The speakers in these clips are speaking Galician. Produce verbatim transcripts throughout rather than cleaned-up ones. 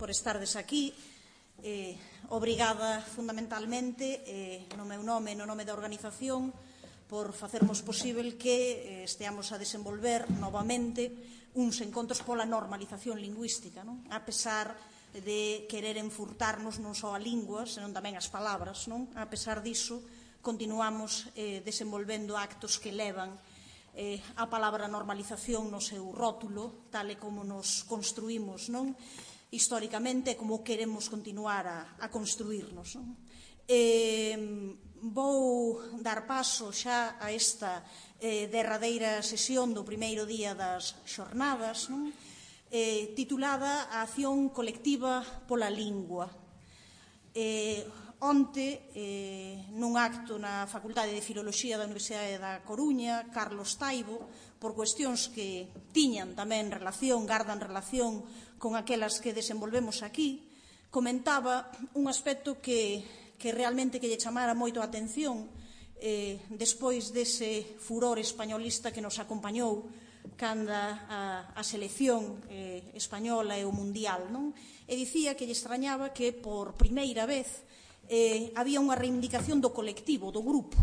por estardes aquí. Eh, obrigada fundamentalmente eh, no meu nome e no nome da organización por facermos posible que eh, esteamos a desenvolver novamente uns encontros pola normalización lingüística, non? A pesar de querer enfurtarnos non só a lingua, senón tamén as palabras, non? A pesar diso, continuamos eh, desenvolvendo actos que levan eh, a palabra normalización no seu rótulo, tal e como nos construímos, non? Históricamente, como queremos continuar a, a construirnos, non? Eh, vou dar paso xa a esta eh, derradeira sesión do primeiro día das xornadas, non? Eh, titulada A acción colectiva pola lingua. Eh, onte, eh, nun acto na Facultade de Filoloxía da Universidade da Coruña, Carlos Taibo, por cuestións que tiñan tamén relación, gardan relación con aquelas que desenvolvemos aquí, comentaba un aspecto que, que realmente que lle chamara moito a atención eh, despois dese furor españolista que nos acompañou cando a, a selección eh, española e o mundial, non? E dicía que lle extrañaba que por primeira vez eh, había unha reivindicación do colectivo, do grupo,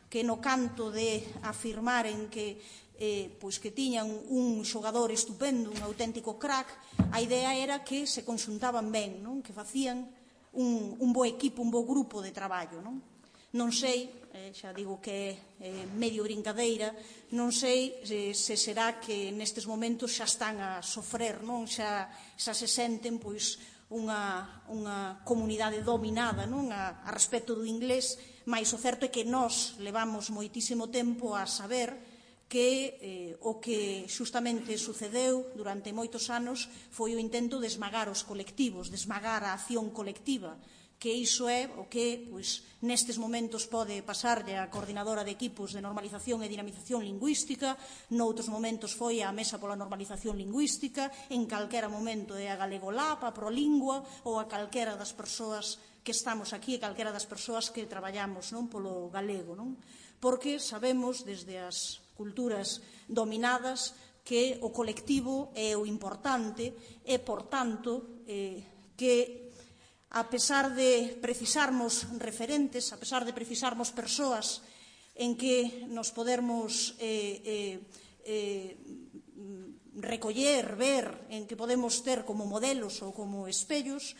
que no canto de afirmaren que eh, pois que tiñan un xogador estupendo, un auténtico crack, a idea era que se conxuntaban ben, non? Que facían un, un bo equipo, un bo grupo de traballo, non? Non sei, eh, xa digo que é eh, medio brincadeira, non sei eh, se será que nestes momentos xa están a sofrer, non? Xa, xa se senten pois unha, unha comunidade dominada, non? A, a respecto do inglés, mais o certo é que nós levamos moitísimo tempo a saber que eh, o que xustamente sucedeu durante moitos anos foi o intento de esmagar os colectivos, de esmagar a acción colectiva, que iso é o que pois, nestes momentos pode pasarlle a coordinadora de equipos de normalización e dinamización lingüística, noutros momentos foi a Mesa pola Normalización Lingüística, en calquera momento é a Galegolab, a Prolingua ou a calquera das persoas que estamos aquí e calquera das persoas que traballamos non, polo galego, non? Porque sabemos desde as culturas dominadas que o colectivo é o importante e, por tanto, eh, que a pesar de precisarmos referentes, a pesar de precisarmos persoas en que nos podermos eh, eh, eh, recoller, ver, en que podemos ter como modelos ou como espellos,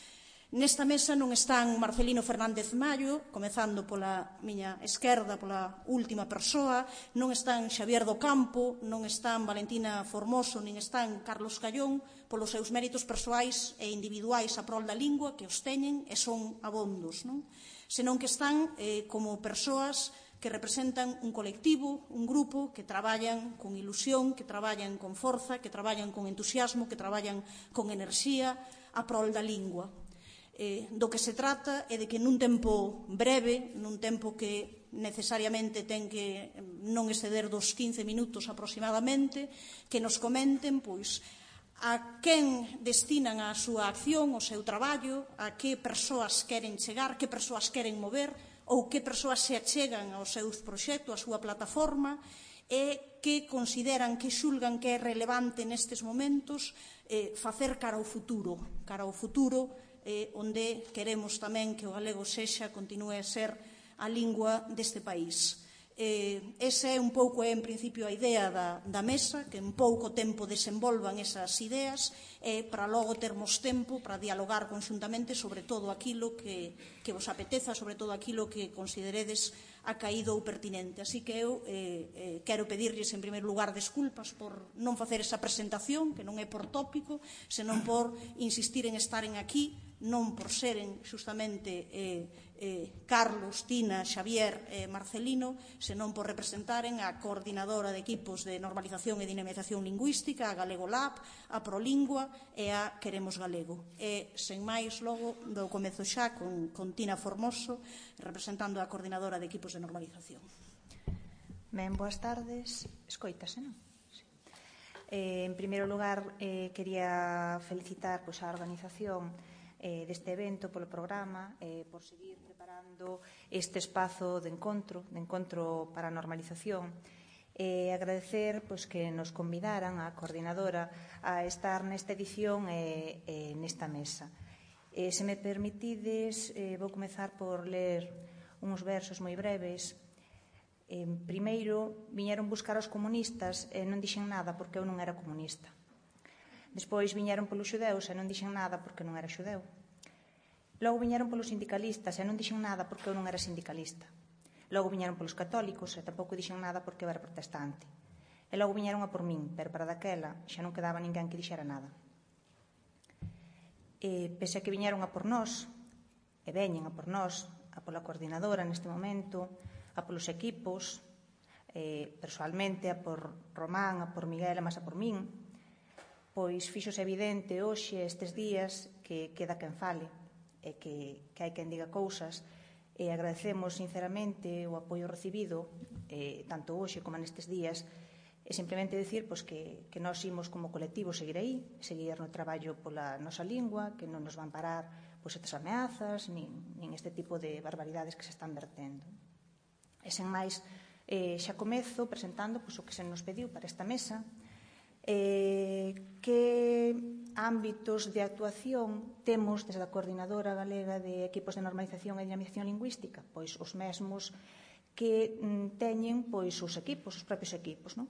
nesta mesa non están Marcelino Fernández Mallo, comezando pola miña esquerda, pola última persoa, non están Xavier do Campo, non están Valentina Formoso, nin están Carlos Callón, polos seus méritos persoais e individuais a prol da lingua, que os teñen e son abondos, non? Senón que están eh, como persoas que representan un colectivo, un grupo que traballan con ilusión, que traballan con forza, que traballan con entusiasmo, que traballan con enerxía a prol da lingua. Eh, do que se trata é de que nun tempo breve, nun tempo que necesariamente ten que non exceder dos quince minutos aproximadamente, que nos comenten pois a quen destinan a súa acción, o seu traballo, a que persoas queren chegar, que persoas queren mover ou que persoas se achegan aos seus proxectos, a súa plataforma e que consideran, que xulgan que é relevante nestes momentos eh, facer cara ao futuro, cara ao futuro eh, onde queremos tamén que o galego sexa, continue a ser a lingua deste país. Eh, esa é un pouco, é, en principio, a idea da, da mesa, que en pouco tempo desenvolvan esas ideas e para logo termos tempo para dialogar conxuntamente sobre todo aquilo que, que vos apeteza, sobre todo aquilo que consideredes acaído ou pertinente. Así que eu eh, eh, quero pedirlles en primeiro lugar desculpas por non facer esa presentación, que non é por tópico, senón por insistir en estaren aquí, non por seren xustamente eh, eh, Carlos, Tina, Xavier e eh, Marcelino, senón por representaren a coordinadora de equipos de normalización e dinamización lingüística, a Galegolab, a Prolingua e a Queremos Galego. E, sen máis, logo, do comezo xa con, con Tina Formoso, representando a coordinadora de equipos de normalización. Ben, boas tardes. Escoitase, non? Sí. Eh, en primeiro lugar, eh, quería felicitar pois, a organización eh, deste evento polo programa, eh, por seguir preparando este espazo de encontro, de encontro para a normalización. E eh, agradecer pois, que nos convidaran a coordinadora a estar nesta edición e eh, eh, nesta mesa. Eh, se me permitides, eh, vou comezar por ler uns versos moi breves. Eh, primeiro, viñeron buscar os comunistas e non dixen nada porque eu non era comunista. Despois viñeron polos xudeus e non dixen nada porque non era xudeu. Logo viñeron polos sindicalistas e non dixen nada porque eu non era sindicalista. Logo viñeron polos católicos e tampouco dixen nada porque eu era protestante. E logo viñeron a por min, pero para daquela xa non quedaba ninguén que dixera nada. E, pese a que viñeron a por nós, e veñen a por nós, a pola coordinadora neste momento, a polos equipos, eh, personalmente a por Román, a por Miguel, a máis a por min, pois fixose evidente hoxe, estes días, que queda quen fale, e que, que hai quen diga cousas, e agradecemos sinceramente o apoio recibido, eh, tanto hoxe como nestes días, e simplemente decir pois, que, que nós imos como colectivo seguir aí, seguir no traballo pola nosa lingua, que non nos van parar pois, estas ameazas, nin, nin este tipo de barbaridades que se están vertendo. E sen máis, eh, xa comezo presentando pois, o que se nos pediu para esta mesa, eh, que ámbitos de actuación temos desde a Coordinadora Galega de Equipos de Normalización e Dinamización Lingüística, pois os mesmos que mm, teñen pois os equipos, os propios equipos, non?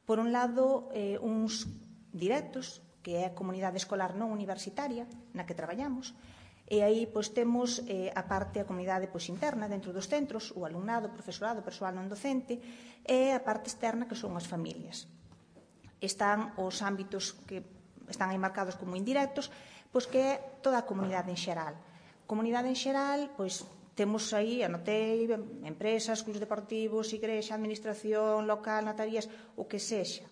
Por un lado, eh, uns directos, que é a comunidade escolar non universitaria na que traballamos, e aí pois temos eh, a parte a comunidade pois interna dentro dos centros, o alumnado, o profesorado, o persoal non docente, e a parte externa que son as familias. Están os ámbitos que están aí marcados como indirectos, pois que é toda a comunidade en xeral. Comunidade en xeral, pois temos aí, anotei, empresas, clubs deportivos, igrexa, administración local, notarías, o que sexa.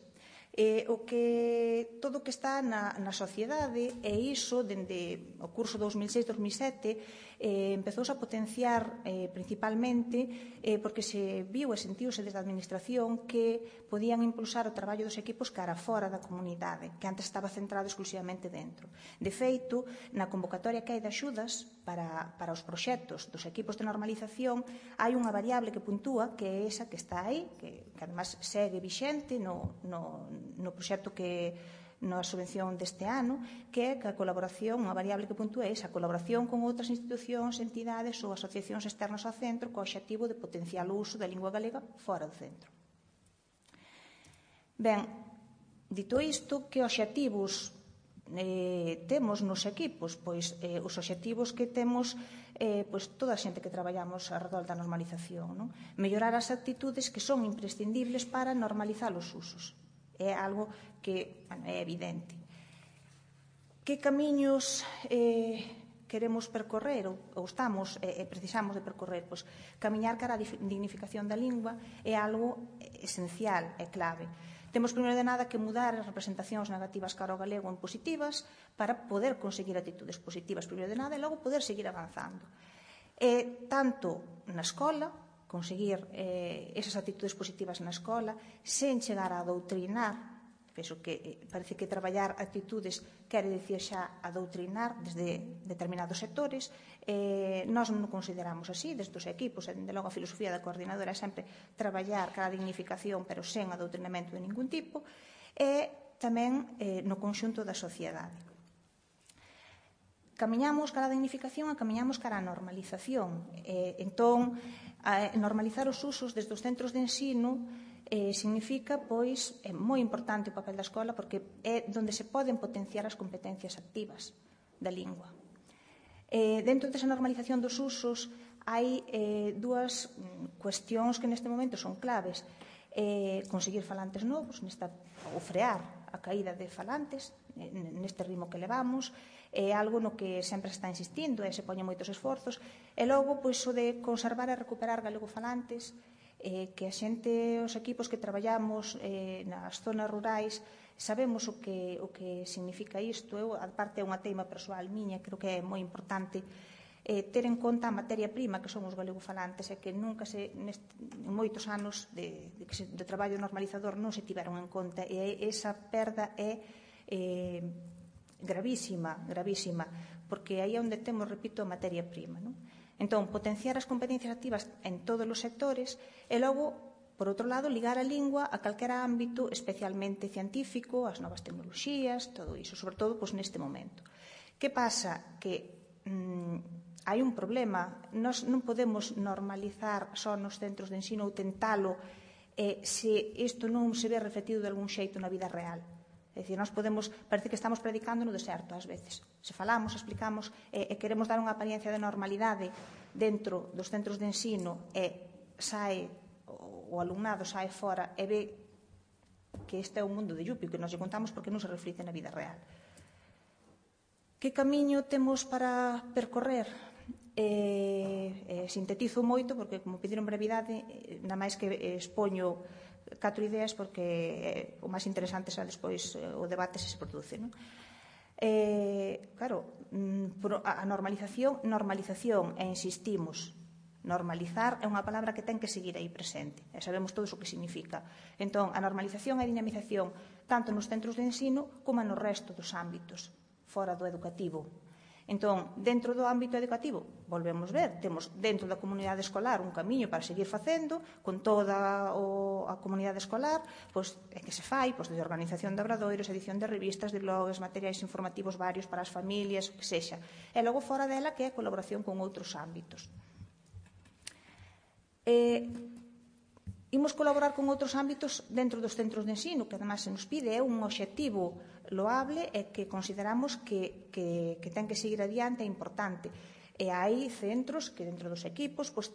Eh, o que, todo o que está na, na sociedade, e iso, dende o curso dos mil seis dos mil sete, eh, empezouse a potenciar eh, principalmente eh, porque se viu e sentiuse desde a administración que podían impulsar o traballo dos equipos cara fora da comunidade, que antes estaba centrado exclusivamente dentro. De feito, na convocatoria que hai de axudas para, para os proxectos dos equipos de normalización, hai unha variable que puntúa, que é esa que está aí, que, que además segue vixente no, no, no proxecto que na subvención deste ano, que é que a colaboración, unha variable que puntúa é esa colaboración con outras institucións, entidades ou asociacións externas ao centro co obxectivo de potenciar o uso da lingua galega fora do centro. Ben, dito isto, que obxectivos eh, temos nos equipos? Pois eh, os obxectivos que temos eh, pois, toda a xente que traballamos arredor da normalización, non? Mellorar as actitudes que son imprescindibles para normalizar os usos. É algo que bueno, é evidente. Que camiños eh, queremos percorrer ou, ou estamos e eh, precisamos de percorrer? Pois, camiñar cara a dignificación da lingua é algo esencial, é clave. Temos, primeiro de nada, que mudar as representacións negativas cara ao galego en positivas para poder conseguir actitudes positivas, primeiro de nada, e logo poder seguir avanzando. E tanto na escola, conseguir eh, esas actitudes positivas na escola, sen chegar a doutrinar. Penso que eh, parece que traballar actitudes quere dicir xa adoutrinar desde determinados sectores. Eh, nós non consideramos así, desde os equipos, e dende logo a filosofía da coordinadora é sempre traballar cara a dignificación, pero sen adoutrinamento de ningún tipo, e tamén eh, no conxunto da sociedade. Camiñamos cara a dignificación e camiñamos cara a normalización. Eh, entón, a normalizar os usos desde os centros de ensino eh, significa, pois, é moi importante o papel da escola porque é onde se poden potenciar as competencias activas da lingua. Eh, dentro desa normalización dos usos hai eh, dúas cuestións que neste momento son claves. Eh, conseguir falantes novos, nesta, ou frear a caída de falantes, neste ritmo que levamos, é algo no que sempre se está insistindo e se poñen moitos esforzos, e logo, pois, o de conservar e recuperar galegofalantes, eh, que a xente, os equipos que traballamos eh, nas zonas rurais, sabemos o que, o que significa isto. Eu, a parte, é unha teima persoal miña, creo que é moi importante eh, ter en conta a materia prima que son os galegofalantes, e que nunca se, neste, en moitos anos de, de, que se, de traballo normalizador non se tiveron en conta, e esa perda é eh, gravísima, gravísima, porque aí é onde temos, repito, a materia prima, non? Entón, potenciar as competencias activas en todos os sectores e logo, por outro lado, ligar a lingua a calquera ámbito, especialmente científico, as novas tecnoloxías, todo iso, sobre todo pois, neste momento. Que pasa? Que hai un problema. Nós non podemos normalizar só nos centros de ensino ou tentalo eh, se isto non se ve refletido de algún xeito na vida real. É dicir, nós podemos, parece que estamos predicando no deserto ás veces. Se falamos, explicamos e, e queremos dar unha apariencia de normalidade dentro dos centros de ensino e sae, o alumnado sae fora e ve que este é o mundo de Yupi, que nos lle contamos porque non se reflite na vida real. Que camiño temos para percorrer? Eh, eh, sintetizo moito porque, como pediron brevidade, eh, na máis que expoño catro ideas porque eh, o máis interesante xa despois eh, o debate se se produce, non? Eh, claro, a normalización, normalización, e insistimos, normalizar é unha palabra que ten que seguir aí presente, e sabemos todos o que significa. Entón, a normalización e a dinamización tanto nos centros de ensino como no resto dos ámbitos fora do educativo. Entón, dentro do ámbito educativo, volvemos ver, temos dentro da comunidade escolar un camiño para seguir facendo, con toda o, a comunidade escolar, pois, é que se fai, pois, de organización de obradoiros, edición de revistas, de blogs, materiais informativos varios para as familias, o que sexa. E logo fora dela que é a colaboración con outros ámbitos. Eh, imos colaborar con outros ámbitos dentro dos centros de ensino, que además se nos pide, é un obxectivo loable e que consideramos que, que, que ten que seguir adiante, é importante. E hai centros que dentro dos equipos pois,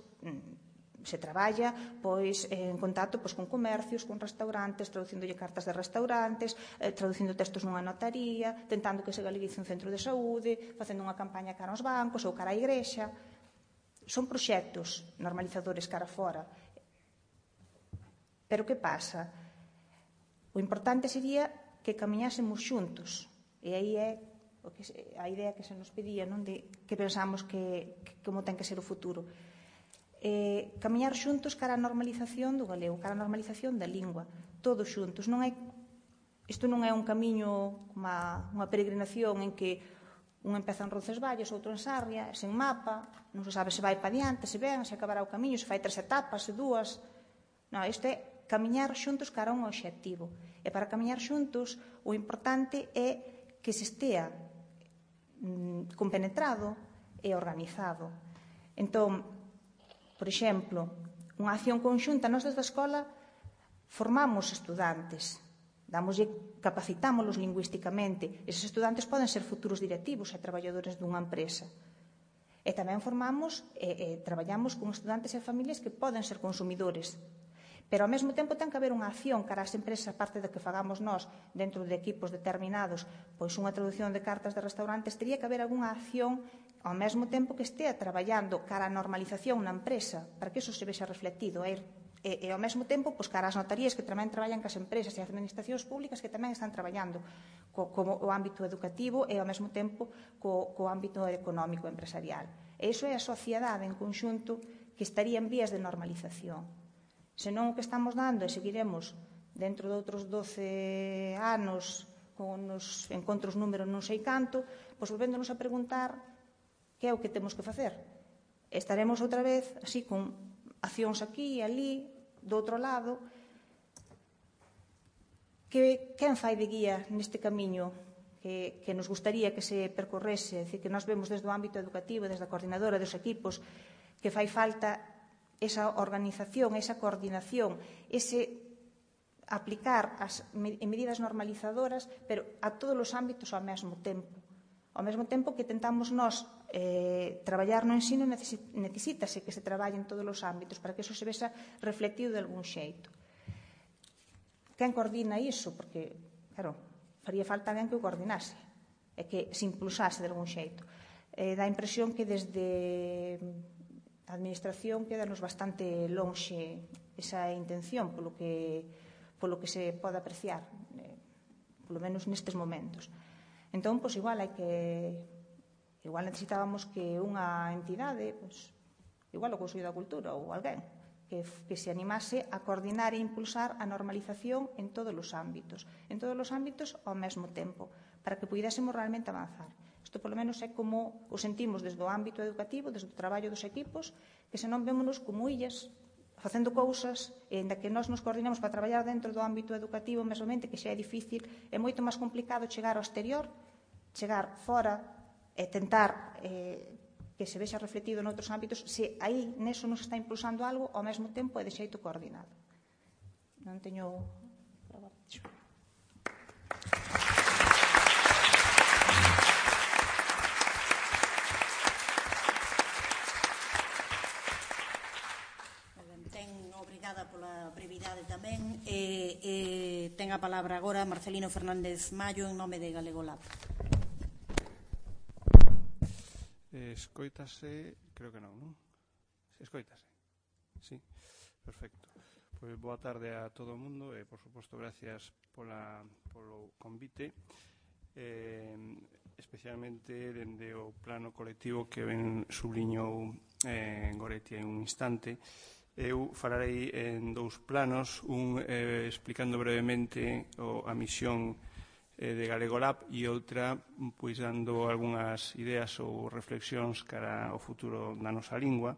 se traballa pois, en contacto pois, con comercios, con restaurantes, traducíndolle cartas de restaurantes, eh, traducindo textos nunha notaría, tentando que se galeguice un centro de saúde, facendo unha campaña cara aos bancos ou cara á igrexa. Son proxectos normalizadores cara fora. Pero que pasa? O importante sería que camiñásemos xuntos. E aí é o que, a idea que se nos pedía, non, de que pensamos que, que como ten que ser o futuro. Eh, camiñar xuntos cara a normalización do galego, cara a normalización da lingua, todos xuntos. Non é, isto non é un camiño, unha, unha peregrinación en que un empeza en Roncesvalles, outro en Sarria, sen mapa, non se sabe se vai pa diante, se ven, se acabará o camiño, se fai tres etapas, se dúas. Non, isto é camiñar xuntos cara a un obxectivo. E para camiñar xuntos, o importante é que se estea mm, compenetrado e organizado. Entón, por exemplo, unha acción conxunta, nós desde a escola formamos estudantes, damoslle, capacitámolos lingüísticamente. Eses estudantes poden ser futuros directivos e traballadores dunha empresa. E tamén formamos e, e traballamos con estudantes e familias que poden ser consumidores. Pero ao mesmo tempo ten que haber unha acción cara ás empresas, aparte de que fagamos nós dentro de equipos determinados, pois unha traducción de cartas de restaurantes, teria que haber algunha acción ao mesmo tempo que estea traballando cara á normalización na empresa, para que iso se vexa reflectido. E, e, e ao mesmo tempo, pois, cara ás notarías que tamén traballan cas empresas e as administracións públicas que tamén están traballando co, como o ámbito educativo e ao mesmo tempo co, co ámbito económico empresarial. E iso é a sociedade en conxunto que estaría en vías de normalización. Senón o que estamos dando e seguiremos dentro de outros doce anos con os encontros números non sei canto, pois volvéndonos a preguntar que é o que temos que facer. Estaremos outra vez así con accións aquí e ali, do outro lado. Que, quen fai de guía neste camiño que, que nos gustaría que se percorrese? É dicir, que nós vemos desde o ámbito educativo, desde a coordinadora dos equipos, que fai falta esa organización, esa coordinación, ese aplicar as medidas normalizadoras, pero a todos os ámbitos ao mesmo tempo. Ao mesmo tempo que tentamos nós eh, traballar no ensino, necesítase que se traballe en todos os ámbitos para que eso se vexa reflectido de algún xeito. Quen coordina iso? Porque, claro, faría falta alguén que o coordinase e que se impulsase de algún xeito. Eh, dá a impresión que desde a administración quedanos bastante lonxe esa intención polo que, polo que se pode apreciar, eh, polo menos nestes momentos. Entón, pois, igual hai que igual necesitábamos que unha entidade, pois, igual o Consello da Cultura ou alguén que, que se animase a coordinar e impulsar a normalización en todos os ámbitos, en todos os ámbitos ao mesmo tempo, para que puidésemos realmente avanzar. Isto, polo menos, é como o sentimos desde o ámbito educativo, desde o traballo dos equipos, que senón vémonos como illas, facendo cousas, e ainda que nós nos coordinemos para traballar dentro do ámbito educativo, mesmomente, que xa é difícil, é moito máis complicado chegar ao exterior, chegar fora e tentar eh, que se vexa refletido noutros ámbitos, se aí neso nos está impulsando algo ao mesmo tempo e de xeito coordinado. Non teño... Obrigada pola brevidade tamén. E, e, ten a palabra agora Marcelino Fernández Mallo en nome de Galego Lab. Eh, escoítase, creo que non, non? Escoítase. Sí, perfecto. Pois boa tarde a todo o mundo e, por suposto, gracias pola, polo convite. Eh, especialmente dende o plano colectivo que ben subliñou eh, Goretti en un instante. Eu falarei en dous planos, un eh, explicando brevemente o, a misión eh, de Galego Lab e outra pois dando algunhas ideas ou reflexións cara ao futuro da nosa lingua,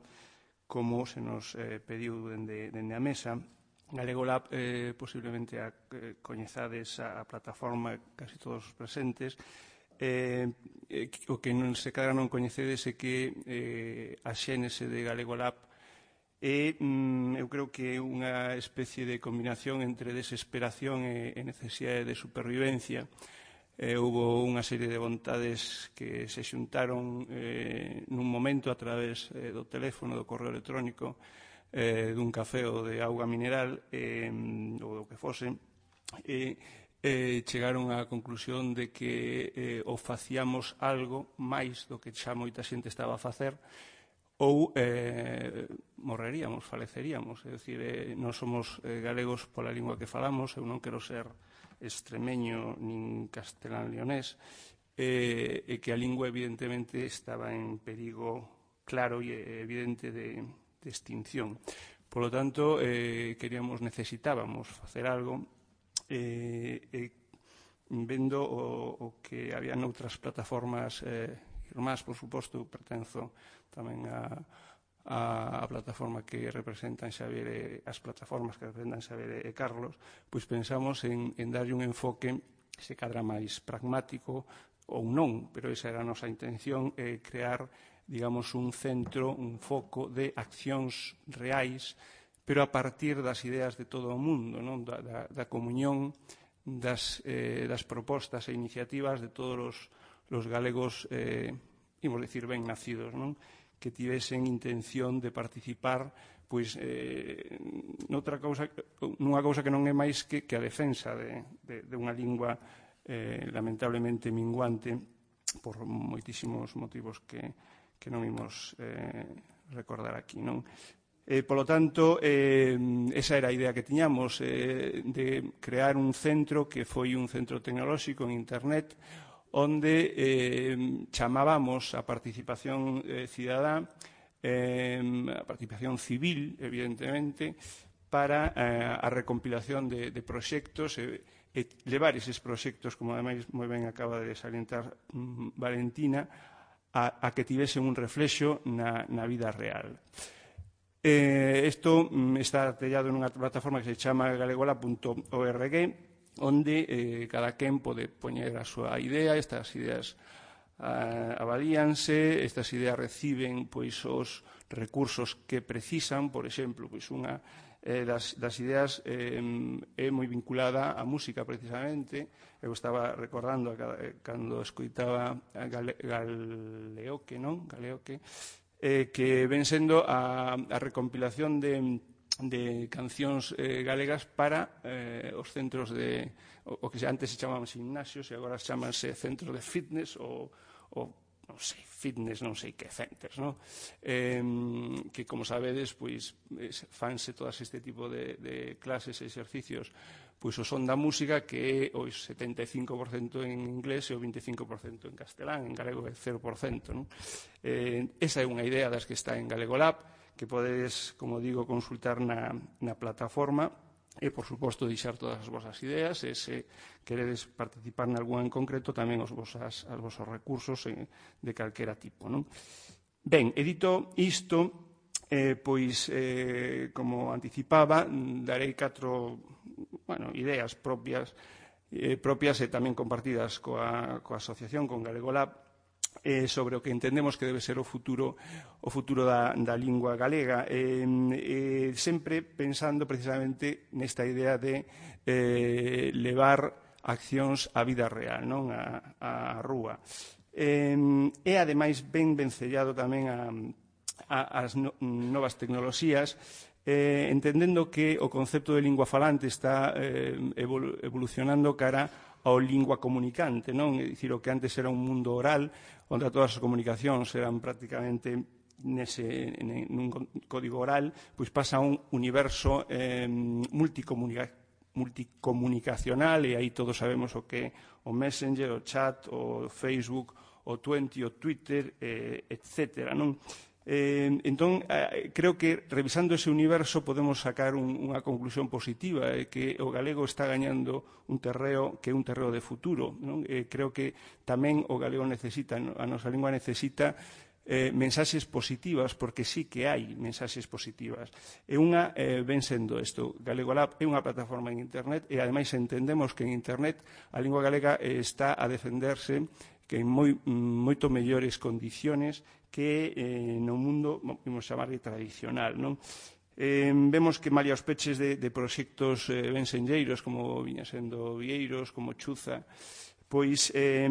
como se nos eh, pediu dende, dende a mesa. Galego Lab, eh, posiblemente a, eh, coñezades a, a plataforma casi todos os presentes. Eh, eh, o que non se cadra non coñecedes é que eh, a xénese de Galego Lab e mm, eu creo que é unha especie de combinación entre desesperación e, e necesidade de supervivencia. Eh, houve unha serie de vontades que se xuntaron eh, nun momento a través eh, do teléfono, do correo electrónico, eh, dun café ou de auga mineral eh, ou do que fose, e eh, chegaron á conclusión de que eh, o facíamos algo máis do que xa moita xente estaba a facer, ou eh, morreríamos, faleceríamos. É dicir, eh, non somos eh, galegos pola lingua que falamos, eu non quero ser extremeño nin castelán-leonés, eh, e que a lingua evidentemente estaba en perigo claro e evidente de, de extinción. Por lo tanto, eh, queríamos, necesitábamos facer algo, eh, e vendo o, o que había noutras plataformas eh, irmás, por suposto, pertenzo tamén a, a, a plataforma que representan Xavier e as plataformas que representan Xavier e Carlos, pois pensamos en, en darlle un enfoque se cadra máis pragmático ou non, pero esa era a nosa intención, eh, crear, digamos, un centro, un foco de accións reais, pero a partir das ideas de todo o mundo, non? Da, da, da comunión das, eh, das propostas e iniciativas de todos os, os galegos, eh, imos dicir, ben nacidos, non? Que tivesen intención de participar pois, eh, noutra cousa, nunha cousa que non é máis que, que a defensa de, de, de unha lingua eh, lamentablemente minguante por moitísimos motivos que, que non imos eh, recordar aquí, non? Eh, polo tanto, eh, esa era a idea que tiñamos, eh, de crear un centro que foi un centro tecnolóxico en Internet, onde eh, chamábamos a participación eh, cidadá, eh, a participación civil, evidentemente, para eh, a recompilación de, de proxectos e, e levar eses proxectos, como ademais moi ben acaba de salientar mm, Valentina, a, a que tivesen un reflexo na, na vida real. Eh, isto mm, está tellado nunha plataforma que se chama galegola punto org, onde eh, cada quen pode poñer a súa idea, estas ideas ah, avalíanse, estas ideas reciben pois os recursos que precisan, por exemplo, pois unha eh, das, das ideas eh, é moi vinculada á música precisamente. Eu estaba recordando a cada, eh, cando escoitaba a Gale, Galeoque, non? Galeoque, eh, que ven sendo a, a recompilación de de cancións eh, galegas para eh, os centros de o, o que antes se chamaban gimnasios e agora chamanse centros de fitness ou, ou non sei, fitness non sei que centers, non? Eh, que, como sabedes, pois fanse todas este tipo de, de clases e exercicios pois o son da música, que é o setenta e cinco por cento en inglés e o vinte e cinco por cento en castelán, en galego é cero por cento, non? Eh, esa é unha idea das que está en Galego Lab, que podedes, como digo, consultar na, na plataforma e, por suposto, deixar todas as vosas ideas e, se queredes participar en algunha en concreto, tamén os vosas, as vosos recursos eh, de calquera tipo, non? Ben, e dito isto, eh, pois, eh, como anticipaba, darei catro bueno, ideas propias, eh, propias e tamén compartidas coa, coa asociación, con Galego Lab, eh, sobre o que entendemos que debe ser o futuro o futuro da, da lingua galega, eh, eh, sempre pensando precisamente nesta idea de eh, levar accións á vida real, non á, á rúa. Eh, e, ademais, ben vencellado tamén a, a, as no, novas tecnoloxías, eh, entendendo que o concepto de lingua falante está eh, evolu evolucionando cara ao lingua comunicante, non? É dicir, o que antes era un mundo oral, onde todas as comunicacións eran prácticamente nese, nun código oral, pois pasa a un universo eh, multicomunicativo multicomunicacional, e aí todos sabemos o que é o Messenger, o chat, o Facebook, o Twenty, o Twitter, eh, etcétera, non? Eh, entón, eh, creo que revisando ese universo podemos sacar un, unha conclusión positiva, eh, que o galego está gañando un terreo que é un terreo de futuro, non? Eh, creo que tamén o galego necesita, a nosa lingua necesita Eh, mensaxes positivas, porque sí que hai mensaxes positivas. E unha eh, ven sendo isto. Galego Lab é unha plataforma en internet e, ademais, entendemos que en internet a lingua galega eh, está a defenderse que en moi, moito mellores condiciones que eh, no mundo, vamos chamarle tradicional, non? Eh, vemos que malia os peches de, de proxectos eh, bensenlleiros, como viña sendo Vieiros, como Chuza, pois eh,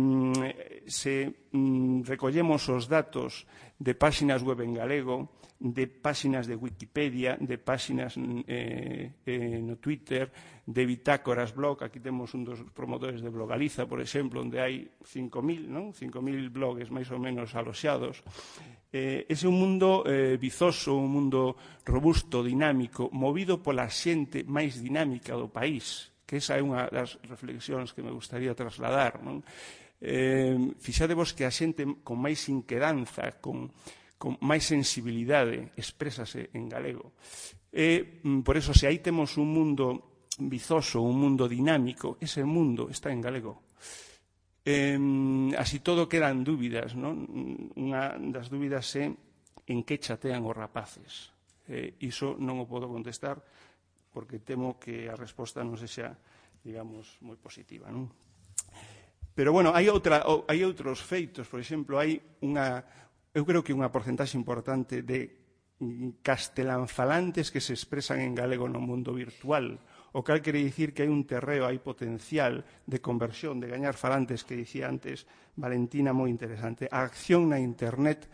se mm, recollemos os datos de páxinas web en galego, de páxinas de Wikipedia, de páxinas eh, eh, no Twitter, de bitácoras blog, aquí temos un dos promotores de Blogaliza, por exemplo, onde hai cinco mil, non? cinco mil blogs máis ou menos aloxados. Eh, ese é un mundo eh, vizoso, un mundo robusto, dinámico, movido pola xente máis dinámica do país, que esa é unha das reflexións que me gustaría trasladar, non? Eh, fixadevos que a xente con máis inquedanza, con, con máis sensibilidade, exprésase en galego. E, por eso, se aí temos un mundo vizoso, un mundo dinámico, ese mundo está en galego. Eh, así todo quedan dúbidas, non? Unha das dúbidas é en que chatean os rapaces. Eh, iso non o podo contestar, porque temo que a resposta non sexa, digamos, moi positiva, non? Pero, bueno, hai, outra, hai outros feitos. Por exemplo, hai unha, eu creo que unha porcentaxe importante de castelanfalantes que se expresan en galego no mundo virtual, o cal quere dicir que hai un terreo, hai potencial de conversión, de gañar falantes, que dicía antes Valentina, moi interesante. A acción na internet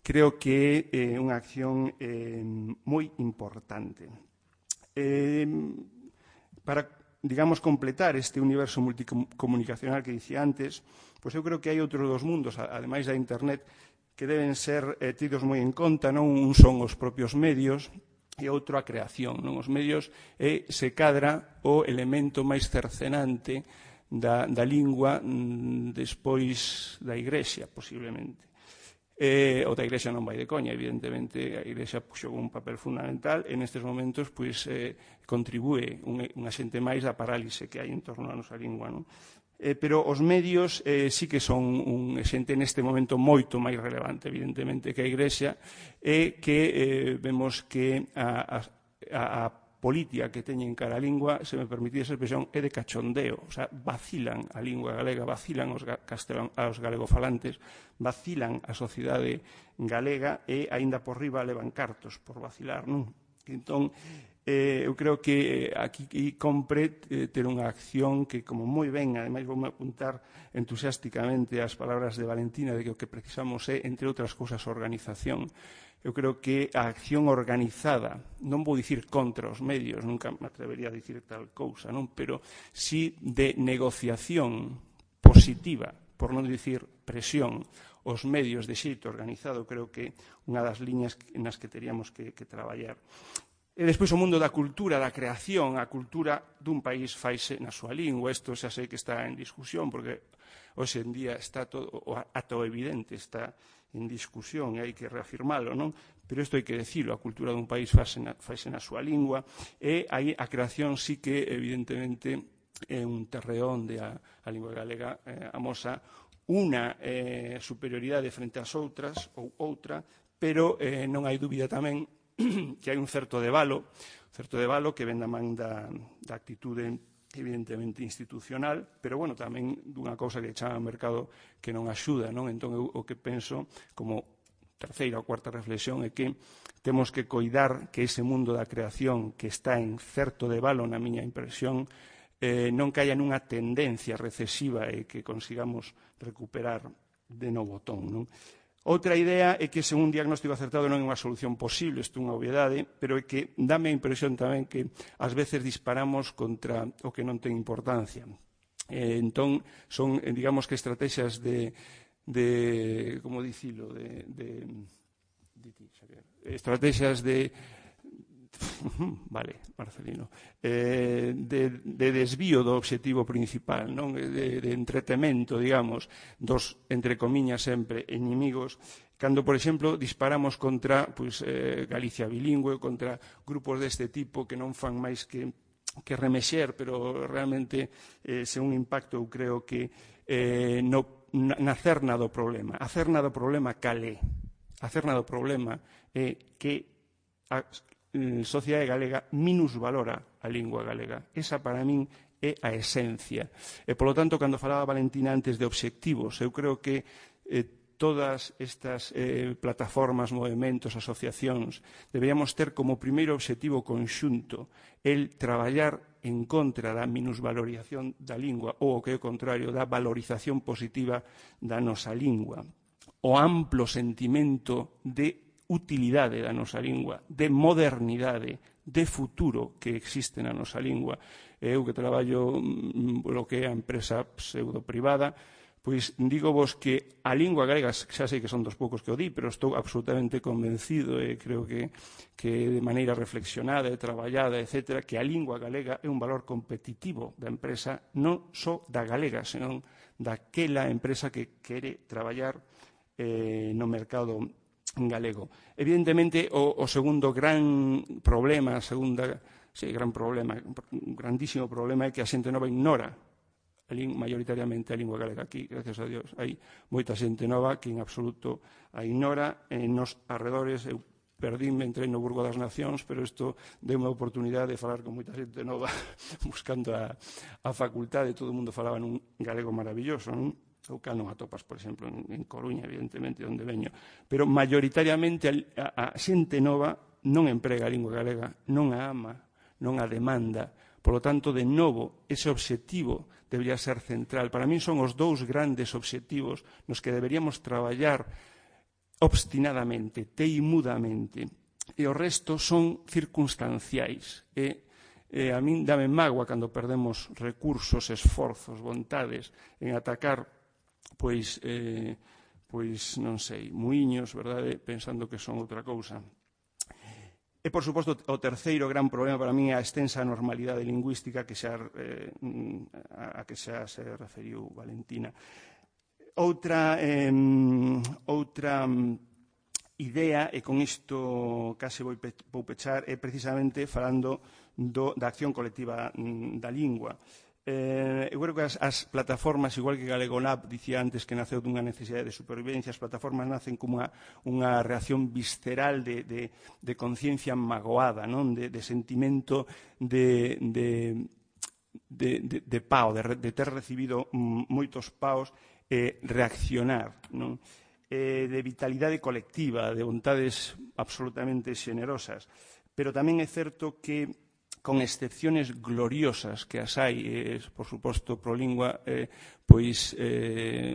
creo que é eh, unha acción eh, moi importante. Eh, para, digamos, completar este universo multicomunicacional que dicía antes, pois eu creo que hai outros dos mundos, ademais da internet, que deben ser eh, tidos moi en conta, non? Un son os propios medios e outro a creación, non? Os medios é, se cadra, o elemento máis cercenante da, da lingua mm, despois da Igrexa, posiblemente. Eh, o da Igrexa non vai de coña, evidentemente a Igrexa xogou un papel fundamental e nestes momentos pois, eh, contribúe un, un axente máis da parálise que hai en torno á nosa lingua, non? Eh, pero os medios eh, sí que son un axente neste momento moito máis relevante, evidentemente, que a Igrexa, e que eh, vemos que a, a, a política que teñen cara a lingua, se me permitís esa expresión, é de cachondeo. O sea, vacilan a lingua galega, vacilan os, castelan, aos galegofalantes, vacilan a sociedade galega e, aínda por riba, levan cartos por vacilar, non? Entón, eh, eu creo que aquí compre eh, ter unha acción que, como moi ben, ademais vou apuntar entusiásticamente as palabras de Valentina, de que o que precisamos é, entre outras cousas, organización. Eu creo que a acción organizada, non vou dicir contra os medios, nunca me atrevería a dicir tal cousa, non? Pero sí de negociación positiva, por non dicir presión, os medios de xeito organizado, creo que unha das liñas nas que teríamos que, que traballar. E despois o mundo da cultura, da creación, a cultura dun país faise na súa lingua. Isto xa sei que está en discusión, porque hoxe en día está todo, o ato evidente, está en discusión e hai que reafirmalo, non? Pero isto hai que decirlo, a cultura dun país faise na, faise na súa lingua, e aí a creación sí que, evidentemente, é un terreo onde a, a lingua galega eh, amosa unha eh, superioridade frente ás outras, ou outra, pero eh, non hai dúbida tamén que hai un certo debalo, certo debalo que ven da man da, da actitude evidentemente institucional, pero, bueno, tamén dunha cousa que chama o mercado que non axuda, non? Entón, eu o que penso, como terceira ou cuarta reflexión, é que temos que coidar que ese mundo da creación que está en certo debalo, na miña impresión, eh, non caia nunha tendencia recesiva e que consigamos recuperar de novo ton, non? Outra idea é que ese un diagnóstico acertado non é unha solución posible, isto é unha obviedade, pero é que dame a impresión tamén que ás veces disparamos contra o que non ten importancia. Eh, entón, son, digamos que estrategias de, de como dicilo, de, de, de, de estrategias de vale, Marcelino, eh, de, de desvío do obxectivo principal, non? De, de entretemento, digamos, dos, entre comiñas, sempre, inimigos, cando, por exemplo, disparamos contra pois, eh, Galicia bilingüe, contra grupos deste tipo que non fan máis que, que remexer, pero realmente, eh, se un impacto, eu creo que eh, no, na cerna do problema. A cerna do problema calé. A cerna do problema é que a sociedade galega minusvalora a lingua galega. Esa, para min, é a esencia. E, polo tanto, cando falaba Valentina antes de obxectivos, eu creo que eh, todas estas eh, plataformas, movementos, asociacións, deberíamos ter como primeiro obxectivo conxunto el traballar en contra da minusvalorización da lingua ou, o que é o contrario, da valorización positiva da nosa lingua. O amplo sentimento de utilidade da nosa lingua, de modernidade, de futuro que existe na nosa lingua. Eu que traballo lo que é a empresa pseudo-privada, pois digo vos que a lingua galega, xa sei que son dos poucos que o di, pero estou absolutamente convencido e creo que, que de maneira reflexionada e traballada, etcétera, que a lingua galega é un valor competitivo da empresa, non só da galega, senón daquela empresa que quere traballar eh, no mercado galego. Evidentemente, o, o segundo gran problema, a segunda, sí, gran problema, un grandísimo problema é que a xente nova ignora a maioritariamente a lingua galega. Aquí, gracias a Dios, hai moita xente nova que en absoluto a ignora. En nos arredores, eu perdíme, entrei no Burgo das Nacións, pero isto deu unha oportunidade de falar con moita xente nova buscando a, a facultade. Todo o mundo falaba nun galego maravilloso, non? O cal non atopas, por exemplo, en, en Coruña, evidentemente, onde veño. Pero, maioritariamente, a, a xente nova non emprega a lingua galega, non a ama, non a demanda. Por lo tanto, de novo, ese obxectivo debería ser central. Para min son os dous grandes obxectivos nos que deberíamos traballar obstinadamente, teimudamente. E o resto son circunstanciais. E e a min dame mágoa cando perdemos recursos, esforzos, vontades en atacar pois, eh, pois non sei, muiños, verdade, pensando que son outra cousa. E, por suposto, o terceiro gran problema para mí é a extensa normalidade lingüística que xa, eh, a que xa se referiu Valentina. Outra, eh, outra idea, e con isto case vou, pe vou pechar, é precisamente falando do, da acción colectiva da lingua. Eh, eu creo que as, as plataformas, igual que Galegonab dicía antes que naceu dunha necesidade de supervivencia, as plataformas nacen como unha, unha reacción visceral de, de, de conciencia magoada, non? De, de sentimento de, de, de, de, de pao, de, de ter recibido moitos paos e eh, reaccionar, non? Eh, de vitalidade colectiva, de vontades absolutamente xenerosas. Pero tamén é certo que con excepciones gloriosas que as hai, eh, por suposto, Prolingua, eh, pois eh,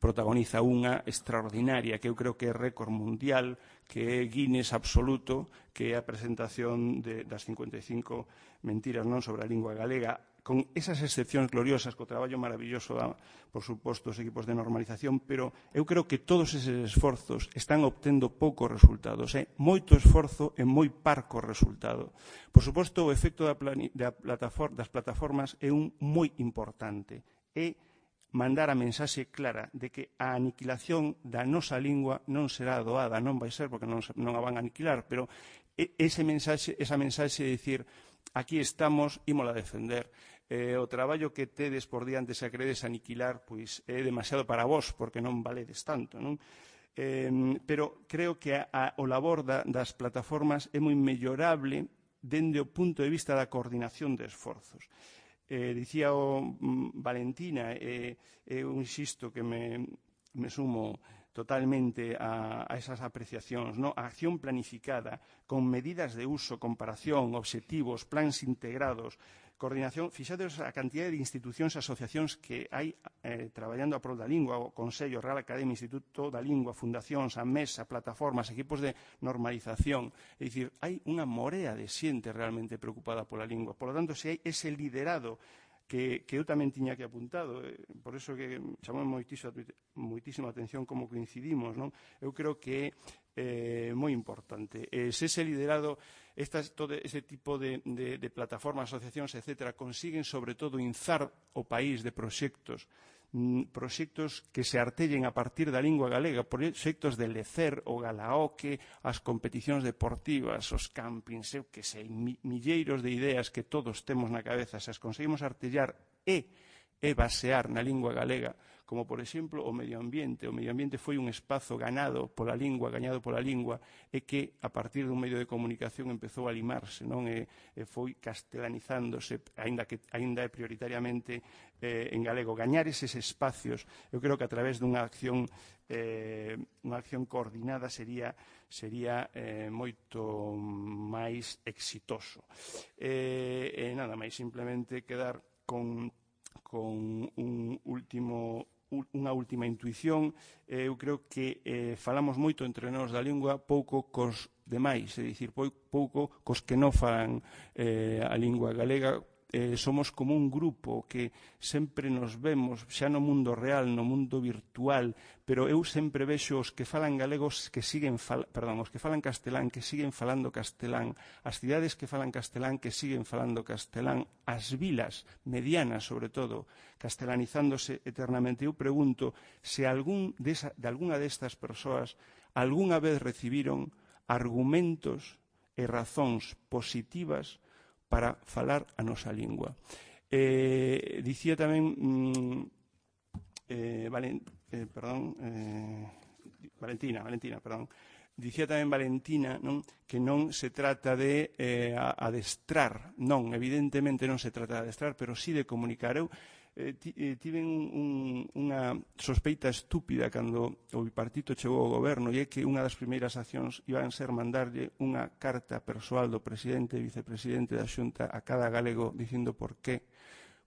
protagoniza unha extraordinaria, que eu creo que é récord mundial, que é Guinness absoluto, que é a presentación de, das cincuenta e cinco mentiras non sobre a lingua galega, con esas excepcións gloriosas, co traballo maravilloso, da, por suposto, os equipos de normalización, pero eu creo que todos eses esforzos están obtendo poucos resultados. É moito esforzo e moi parco resultado. Por suposto, o efecto da plani, da plataforma, das plataformas é un moi importante. É mandar a mensaxe clara de que a aniquilación da nosa lingua non será doada, non vai ser porque non, non a van a aniquilar, pero ese mensaxe, esa mensaxe de dicir aquí estamos, ímola a defender. Eh, o traballo que tedes por diante se a queredes aniquilar, pois é demasiado para vos, porque non valedes tanto, non? Eh, pero creo que a, a, o labor da, das plataformas é moi mellorable dende o punto de vista da coordinación de esforzos. Eh, dicía o mm, Valentina, e eh, eu insisto que me, me sumo totalmente a, a esas apreciacións, ¿no? A acción planificada, con medidas de uso, comparación, obxectivos, plans integrados, coordinación. Fixados a cantidad de institucións e asociacións que hai eh, traballando a prol da lingua, o Consello, Real Academia, Instituto da Lingua, fundacións, a mesa, plataformas, equipos de normalización. É dicir, hai unha morea de xente realmente preocupada pola lingua. Por lo tanto, se hai ese liderado que, que eu tamén tiña que apuntado, eh, por eso que chamou moitísima, moitísima atención como coincidimos, non? Eu creo que é eh, moi importante. Eh, se ese liderado, estas, todo ese tipo de, de, de plataformas, asociacións, etcétera, consiguen sobre todo inzar o país de proxectos, proxectos que se artellen a partir da lingua galega, proxectos de lecer o galaoque, as competicións deportivas, os campings, eu que sei, milleiros de ideas que todos temos na cabeza, se as conseguimos artellar e, e basear na lingua galega, como, por exemplo, o medio ambiente. O medio ambiente foi un espazo ganado pola lingua, gañado pola lingua, e que, a partir dun medio de comunicación, empezou a limarse, non? E, e foi castelanizándose, aínda que aínda é prioritariamente eh, en galego. Gañar eses espacios, eu creo que a través dunha acción eh, unha acción coordinada sería sería eh, moito máis exitoso. E eh, eh, nada máis, simplemente quedar con con un último unha última intuición. Eh, eu creo que eh, falamos moito entre nós da lingua, pouco cos demais, é dicir, pouco cos que non falan eh, a lingua galega. Eh, somos como un grupo que sempre nos vemos xa no mundo real, no mundo virtual, pero eu sempre vexo os que falan galegos que siguen fal, perdón, os que falan castelán que siguen falando castelán, as cidades que falan castelán que siguen falando castelán, as vilas medianas sobre todo, castelanizándose eternamente. Eu pregunto se algún desa, de algunha destas persoas algunha vez recibiron argumentos e razóns positivas para falar a nosa lingua. Eh, dicía tamén mm, eh, Valen, eh, perdón, eh, Valentina, Valentina, perdón. Dicía tamén Valentina, non, que non se trata de eh, adestrar, non, evidentemente non se trata de adestrar, pero sí de comunicar. Eu eh, tiven un, unha sospeita estúpida cando o bipartito chegou ao goberno, e é que unha das primeiras accións iban ser mandarlle unha carta persoal do presidente e vicepresidente da Xunta a cada galego dicindo por qué,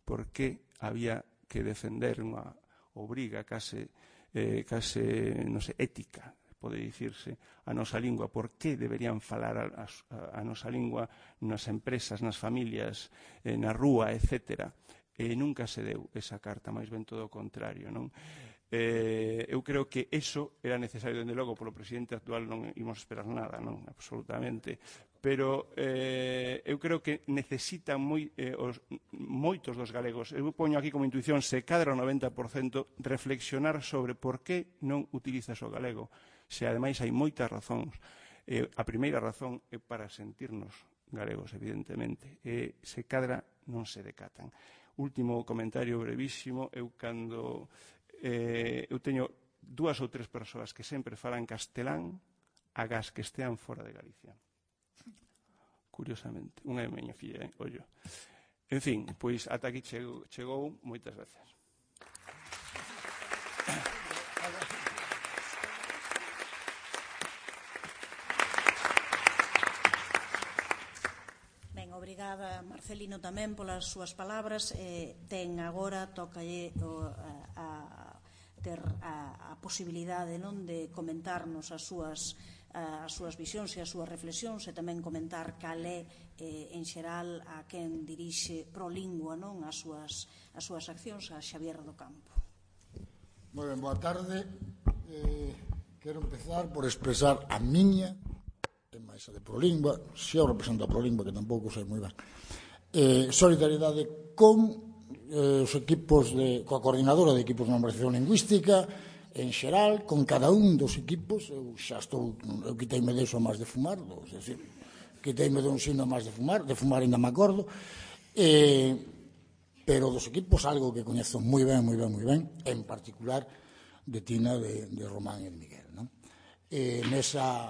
por qué había que defender unha obriga case, eh, case, non sei, ética, pode dicirse, a nosa lingua, por que deberían falar a, a, a nosa lingua nas empresas, nas familias, eh, na rúa, etcétera. E nunca se deu esa carta, máis ben todo o contrario, non? Eh, eu creo que eso era necesario, dende logo, polo presidente actual non imos esperar nada, non? Absolutamente. Pero eh, eu creo que necesitan moi, eh, os, moitos dos galegos, eu poño aquí como intuición, se cadra o noventa por cento, reflexionar sobre por que non utilizas o galego. Se ademais hai moitas razóns. Eh, a primeira razón é para sentirnos galegos, evidentemente. E se cadra non se decatan. Último comentario brevísimo. Eu cando eh, eu teño dúas ou tres persoas que sempre falan castelán agás que estean fora de Galicia. Curiosamente. Unha é miña filla, eh? Ollo. En fin, pois ata aquí chegou. chegou. Moitas gracias. Obrigada, Marcelino, tamén polas súas palabras. Eh, ten agora, tocalle o, a, a ter a, a posibilidade, non, de comentarnos as súas, as súas visións e as súas reflexións, e tamén comentar cal é, eh, en xeral, a quen dirixe Prolingua, non, as súas, as súas accións, a Xavier do Campo. Moi ben, boa tarde. Eh, quero empezar por expresar a miña e máis a de Prolingua, se eu represento a Prolingua, que tampouco sei moi ben, eh, solidariedade con eh, os equipos de, coa coordinadora de equipos de normalización lingüística en xeral, con cada un dos equipos. Eu xa estou, eu quiteime de iso a máis de fumar, é dicir, quiteime de un sino a máis de fumar, de fumar ainda me acordo, eh, pero dos equipos algo que coñezo moi ben, moi ben, moi ben, en particular de Tina, de, de Román e de Miguel, non? Eh, nesa...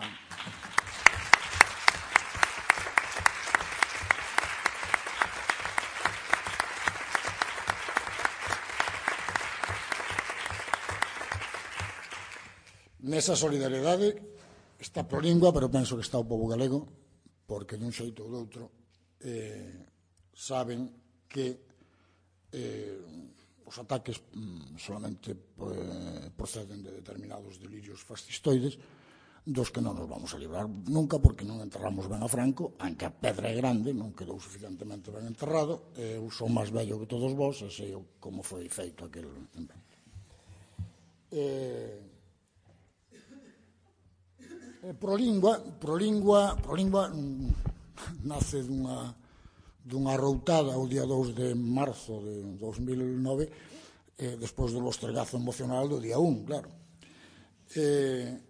nesa solidariedade está a Prolingua, pero penso que está o povo galego, porque dun xeito ou doutro eh, saben que eh, os ataques mm, solamente eh, proceden de determinados delirios fascistoides dos que non nos vamos a librar nunca, porque non enterramos ben a Franco, aunque a pedra é grande, non quedou suficientemente ben enterrado. Eu son máis vello que todos vós e sei como foi feito aquel invento. Eh, Prolingua, Prolingua, Prolingua mm, nace dunha, dunha routada o día dous de marzo de dos mil nove, eh, despois do lostregazo emocional do día un, claro. Eh,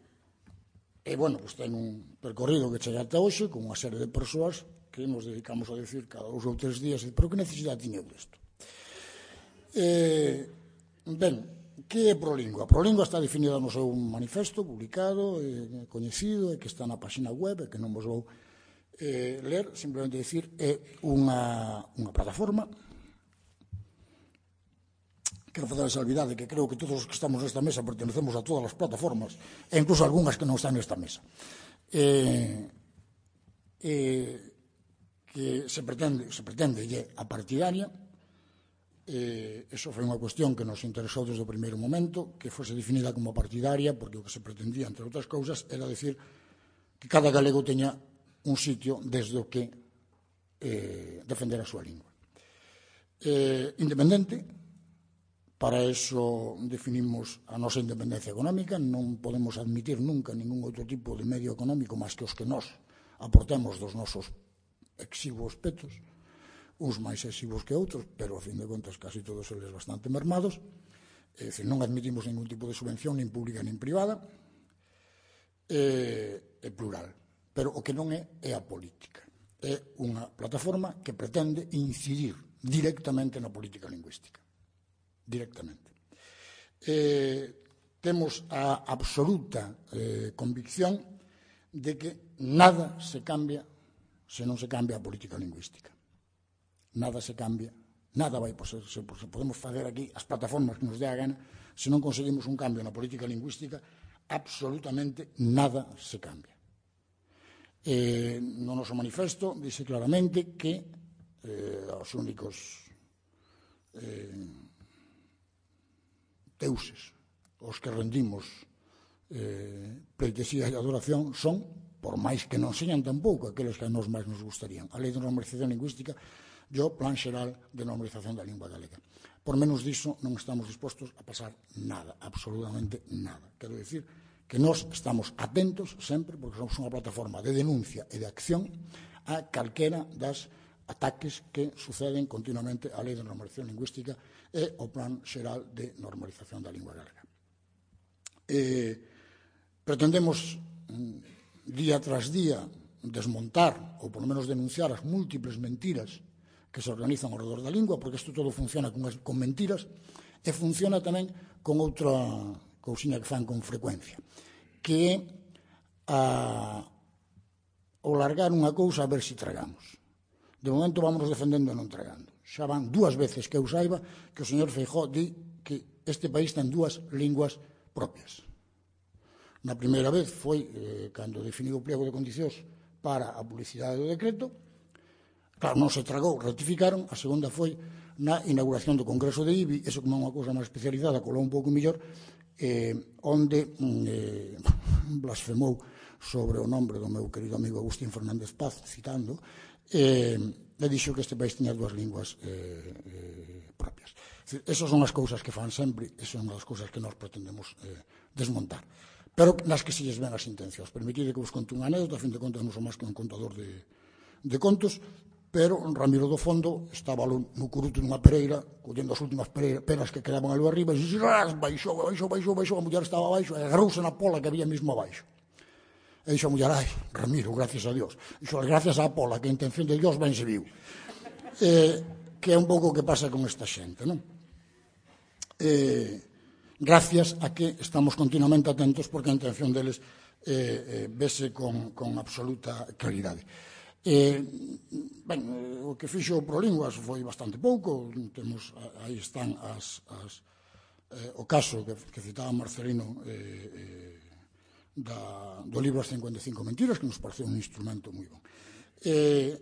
e, bueno, pues ten un percorrido que chega ata hoxe con unha serie de persoas que nos dedicamos a decir cada dous ou tres días, pero que necesidade tiña isto? Eh, ben, que é Prolingua? Prolingua está definida no seu manifesto publicado, eh, coñecido, e que está na página web, e que non vos vou eh, ler, simplemente dicir, é unha, unha plataforma. Quero fazer a salvidade que creo que todos os que estamos nesta mesa pertenecemos a todas as plataformas, e incluso algunhas que non están nesta mesa. Eh, eh, que se pretende, se pretende lle a partidaria. Eh, eso foi unha cuestión que nos interesou desde o primeiro momento, que fose definida como partidaria, porque o que se pretendía, entre outras cousas, era decir que cada galego teña un sitio desde o que eh, defender a súa lingua. Eh, independente, para eso definimos a nosa independencia económica, non podemos admitir nunca ningún outro tipo de medio económico máis que os que nós aportemos dos nosos exiguos petos, uns máis exiguos que outros, pero a fin de contas casi todos eles bastante mermados. É dicir, non admitimos ningún tipo de subvención, nin pública nin privada, é, é plural. Pero o que non é é a política. É unha plataforma que pretende incidir directamente na política lingüística. Directamente. Eh, temos a absoluta eh, convicción de que nada se cambia se non se cambia a política lingüística. Nada se cambia, nada vai poder, se podemos facer aquí as plataformas que nos dé a gana, se non conseguimos un cambio na política lingüística, absolutamente nada se cambia. Eh, no noso manifesto dice claramente que eh, os únicos eh, deuses os que rendimos eh, pleitesía e adoración son, por máis que non señan tampouco aqueles que a nos máis nos gustarían, a Lei de Normalización Lingüística e o Plan Xeral de Normalización da Lingua Galega. Por menos diso non estamos dispostos a pasar nada, absolutamente nada. Quero dicir que nós estamos atentos sempre, porque somos unha plataforma de denuncia e de acción a calquera das ataques que suceden continuamente á Lei de Normalización Lingüística e ao Plan Xeral de Normalización da Lingua Galega. Eh, pretendemos día tras día desmontar, ou por lo menos denunciar as múltiples mentiras que se organizan ao redor da lingua, porque isto todo funciona con, con mentiras, e funciona tamén con outra cousiña que fan con frecuencia, que é a, o largar unha cousa a ver se tragamos. De momento vamos defendendo e non tragando. Xa van dúas veces que eu saiba que o señor Feijóo di que este país ten dúas linguas propias. Na primeira vez foi eh, cando definiu o pliego de condicións para a publicidade do decreto. Claro, non se tragou, ratificaron. A segunda foi na inauguración do Congreso de I B I, eso como é unha cousa máis especializada, colou un pouco mellor, eh, onde eh, blasfemou sobre o nombre do meu querido amigo Agustín Fernández Paz, citando, eh, e dixo que este país tiña dúas linguas eh, eh, propias. Esas son as cousas que fan sempre, esas son as cousas que nós pretendemos eh, desmontar. Pero nas que se lles ven as intencións. Permitide que vos conte unha anécdota, a fin de contas non son máis que un contador de, de contos, pero Ramiro do Fondo estaba no curuto dunha pereira, collendo as últimas peras que quedaban ali arriba, e dixo, baixou, baixou, baixou, baixou, a muller estaba abaixo, e agarrouse na pola que había mesmo abaixo. E dixo a muller, ai, Ramiro, gracias a Dios. Dixo, gracias á pola, que a intención de Dios ben se viu. Eh, que é un pouco o que pasa con esta xente, non? Eh, gracias a que estamos continuamente atentos, porque a intención deles eh, eh, vese con, con absoluta claridade. Eh, ben, o que fixo Prolinguas foi bastante pouco. Temos, aí están as, as, eh, o caso que, que citaba Marcelino, eh, eh, da, do libro As cincuenta e cinco mentiras, que nos parece un instrumento moi bon. Eh,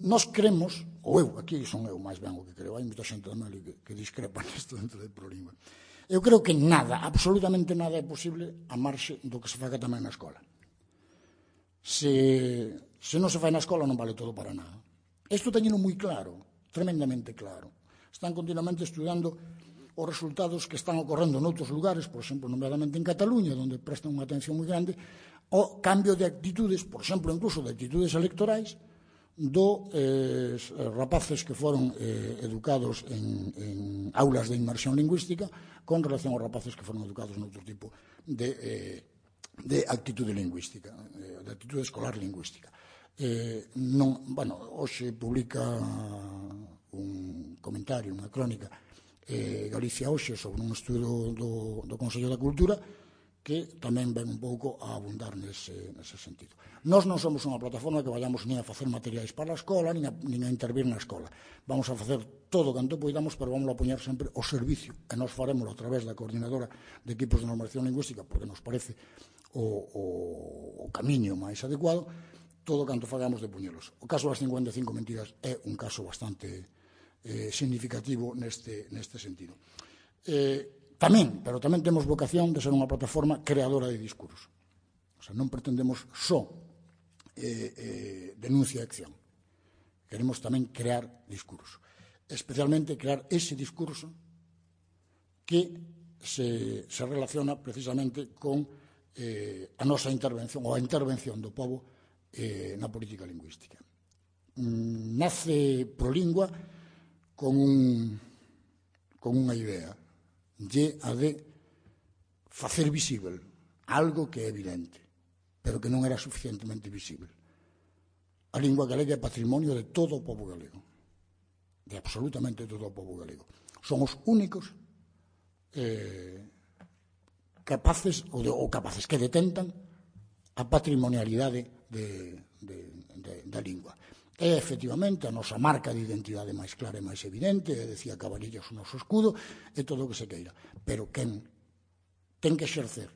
nos creemos, ou eu, aquí son eu máis ben o que creo, hai moita xente tamén que, que discrepa nisto dentro de Prolingua. Eu creo que nada, absolutamente nada é posible a marxe do que se faga tamén na escola. Se, se non se fai na escola non vale todo para nada. Isto teñeno moi claro, tremendamente claro. Están continuamente estudando os resultados que están ocorrendo noutros lugares, por exemplo, nomeadamente en Cataluña, onde prestan unha atención moi grande, ao cambio de actitudes, por exemplo, incluso de actitudes electorais, do eh, rapaces que foron eh, educados en, en aulas de inmersión lingüística con relación aos rapaces que foron educados noutro tipo de, eh, de actitude lingüística, eh, de actitude escolar lingüística. Eh, non, bueno, hoxe publica un comentario, unha crónica, eh, Galicia hoxe, sobre un estudo do, do Consello da Cultura, que tamén ven un pouco a abundar nese, nese sentido. Nós non somos unha plataforma que vayamos nin a facer materiais para a escola, nin a, nin a intervir na escola. Vamos a facer todo canto poidamos, pero vamos a poñer sempre o servicio, e nós faremos a través da coordinadora de equipos de normación lingüística, porque nos parece o, o, o camiño máis adecuado, todo canto fagamos de puñelos. O caso das cincuenta e cinco mentiras é un caso bastante eh, significativo neste, neste sentido. Eh, tamén, pero tamén temos vocación de ser unha plataforma creadora de discurso. O sea, non pretendemos só eh, eh, denuncia e acción. Queremos tamén crear discurso. Especialmente crear ese discurso que se, se relaciona precisamente con eh, a nosa intervención ou a intervención do pobo Eh, na política lingüística. Mm, nace Prolingua con, un, con unha idea, lle a de facer visível algo que é evidente, pero que non era suficientemente visível. A lingua galega é patrimonio de todo o pobo galego, de absolutamente todo o pobo galego. Son os únicos eh, capaces, ou, de, ou capaces que detentan a patrimonialidade de, de, de, da lingua. É, efectivamente, a nosa marca de identidade máis clara e máis evidente, decía Cabanillas o noso escudo, e todo o que se queira. Pero quen ten que exercer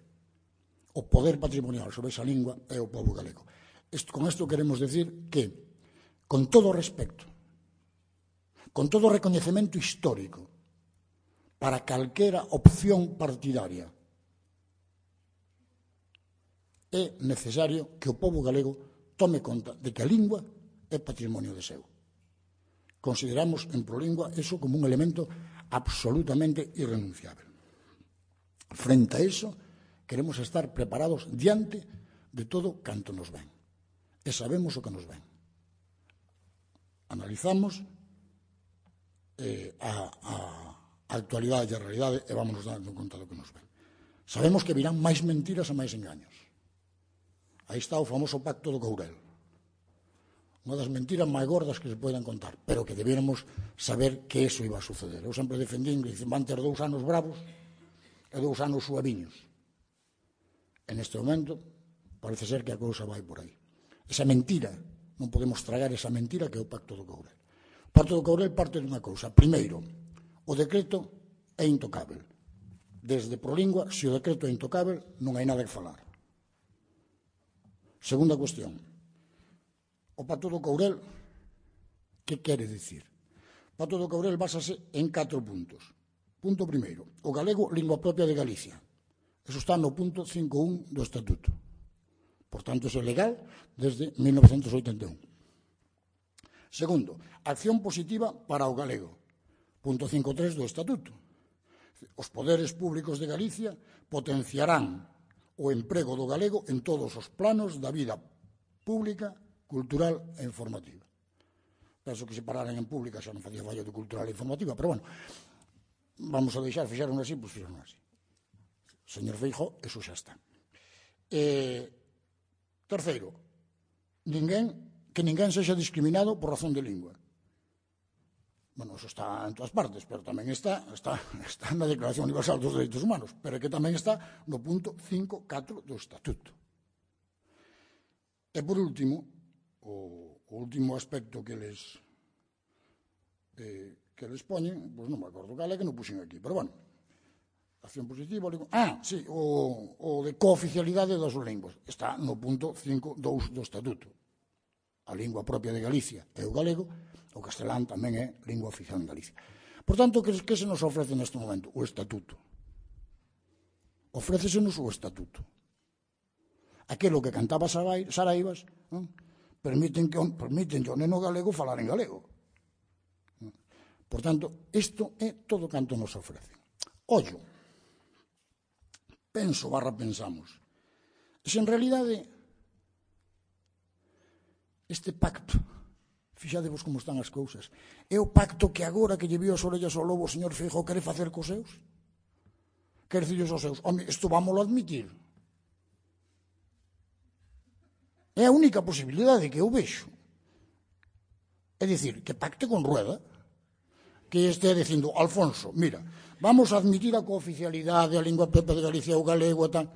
o poder patrimonial sobre esa lingua é o pobo galego. Esto, con isto queremos decir que, con todo o respecto, con todo o recoñecemento histórico, para calquera opción partidaria, é necesario que o pobo galego tome conta de que a lingua é patrimonio de seu. Consideramos en Prolingua eso como un elemento absolutamente irrenunciable. Frente a eso, queremos estar preparados diante de todo canto nos ven. E sabemos o que nos ven. Analizamos eh, a, a, a actualidade e a realidade e vamos dando conta do que nos ven. Sabemos que virán máis mentiras e máis engaños. Aí está o famoso pacto do Courel. Unha das mentiras máis gordas que se poden contar, pero que debiéramos saber que eso iba a suceder. Eu sempre defendín que van ter dous anos bravos e dous anos suaviños. En este momento, parece ser que a cousa vai por aí. Esa mentira, non podemos tragar esa mentira que é o pacto do Courel. O pacto do Courel parte dunha cousa. Primeiro, o decreto é intocável. Desde Prolingua, se o decreto é intocável, non hai nada que falar. Segunda cuestión. O pacto do Courel, que quere dicir? O pacto do Courel básase en catro puntos. Punto primeiro, o galego, lingua propia de Galicia. Eso está no punto cinco punto un do Estatuto. Por tanto, é legal desde mil novecentos oitenta e un. Segundo, acción positiva para o galego. Punto cinco punto tres do Estatuto. Os poderes públicos de Galicia potenciarán o emprego do galego en todos os planos da vida pública, cultural e informativa. Penso que se pararan en pública xa non facía fallo de cultural e informativa, pero bueno, vamos a deixar, fixaron así, pois fixaron así. Señor Feijóo, eso xa está. Eh, terceiro, ninguén, que ninguén sexa discriminado por razón de lingua. Bueno, eso está en todas partes, pero tamén está, está, está na Declaración Universal dos Dereitos Humanos, pero que tamén está no punto cinco punto catro do Estatuto. E, por último, o, o último aspecto que les eh, que les poñen, pois non me acordo cal é que non puxen aquí, pero bueno, acción positiva, ah, sí, o, o de cooficialidade das linguas. Está no punto cinco punto dous do Estatuto. A lingua propia de Galicia é o galego, o castelán tamén é lingua oficial en Galicia. Por tanto, que, que se nos ofrece neste momento? O Estatuto. Ofrécesenos o Estatuto. Aquilo que cantaba Saraivas, non? permiten que permiten que o neno galego falar en galego. Por tanto, isto é todo canto nos ofrece. Ollo, penso barra pensamos, se en realidade este pacto, fixadevos como están as cousas, é o pacto que agora que lle viu as orellas ao lobo o señor Feijóo quere facer cos seus? Quere dicirles aos seus, home, isto vámoslo admitir. É a única posibilidade que eu vexo. É dicir, que pacte con Rueda, que estea dicindo, Alfonso, mira, vamos a admitir a cooficialidade, a lingua propia de Galicia, o galego e tal.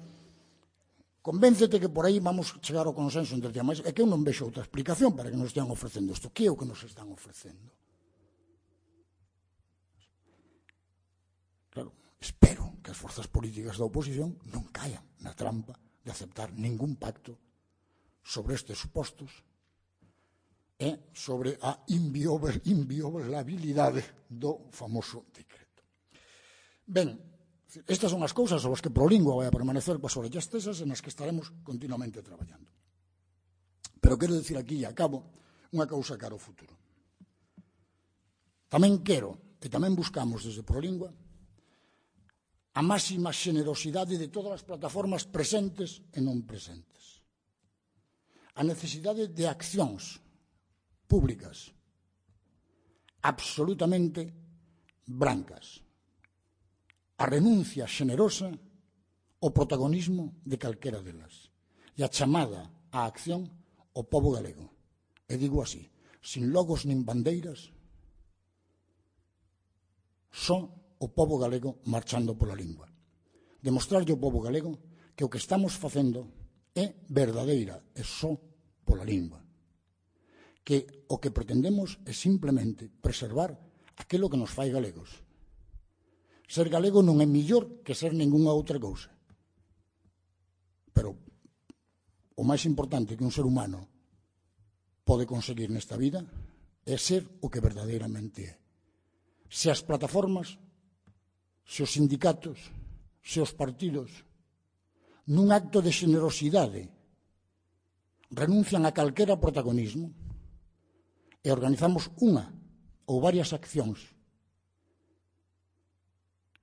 Convéncete que por aí vamos chegar ao consenso entre ti. Mas é que eu non vexo outra explicación para que nos estean ofrecendo isto. Que é o que nos están ofrecendo? Claro, espero que as forzas políticas da oposición non caian na trampa de aceptar ningún pacto sobre estes supostos e sobre a inviolabilidade do famoso decreto. Ben, estas son as cousas sobre as que Prolingua vai a permanecer coas orellas tesas e nas que estaremos continuamente traballando. Pero quero dicir aquí, e acabo, unha cousa cara ao futuro. Tamén quero, e tamén buscamos desde Prolingua, a máxima xenerosidade de todas as plataformas presentes e non presentes. A necesidade de accións públicas absolutamente brancas. A renuncia xenerosa ao protagonismo de calquera delas e a chamada á acción ao pobo galego. E digo así, sin logos nin bandeiras, só o pobo galego marchando pola lingua. Demostrarlle ao pobo galego que o que estamos facendo é verdadeira e só pola lingua. Que o que pretendemos é simplemente preservar aquilo que nos fai galegos. Ser galego non é millor que ser ningunha outra cousa. Pero o máis importante que un ser humano pode conseguir nesta vida é ser o que verdadeiramente é. Se as plataformas, se os sindicatos, se os partidos, nun acto de xenerosidade, renuncian a calquera protagonismo e organizamos unha ou varias accións,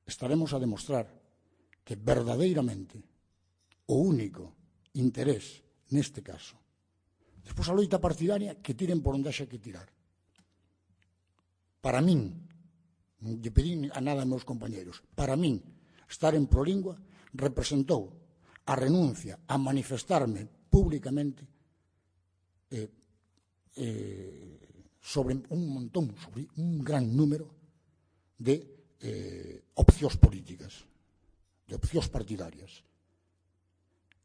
estaremos a demostrar que verdadeiramente o único interés neste caso, despois a loita partidaria, que tiren por onde haxa que tirar. Para min, non lle pedín a nada a meus compañeros, para min, estar en Prolingua representou a renuncia a manifestarme públicamente eh, eh, sobre un montón, sobre un gran número de Eh, opcións políticas, de opcións partidarias.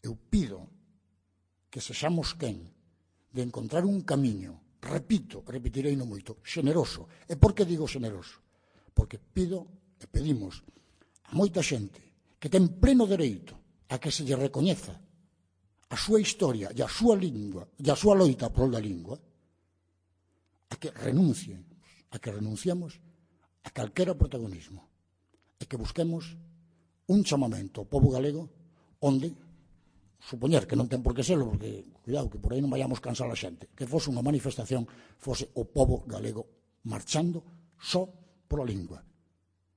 Eu pido que sexamos quen de encontrar un camiño, repito, repetirei no moito, xeneroso. E por que digo xeneroso? Porque pido e pedimos a moita xente que ten pleno dereito a que se lle recoñeza a súa historia e a súa lingua e a súa loita por da lingua, a que renuncien, a que renunciemos a calquera protagonismo e que busquemos un chamamento ao pobo galego onde, supoñer que non ten por que serlo, porque, cuidado, que por aí non vayamos cansar a xente, que fose unha manifestación, fose o pobo galego marchando só pola lingua,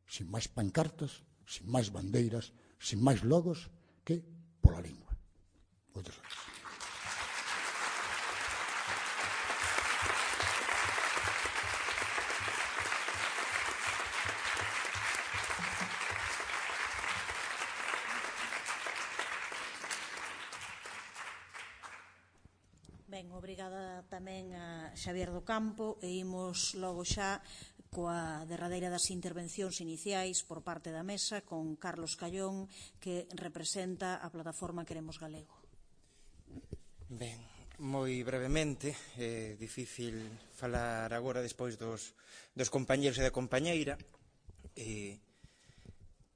sin máis pancartas, sin máis bandeiras, sin máis logos, que pola lingua. Moitas gracias. Ben, obrigada tamén a Xavier do Campo e imos logo xa coa derradeira das intervencións iniciais por parte da mesa con Carlos Callón, que representa a plataforma Queremos Galego. Ben, moi brevemente, é difícil falar agora despois dos, dos compañeros e da compañeira. E,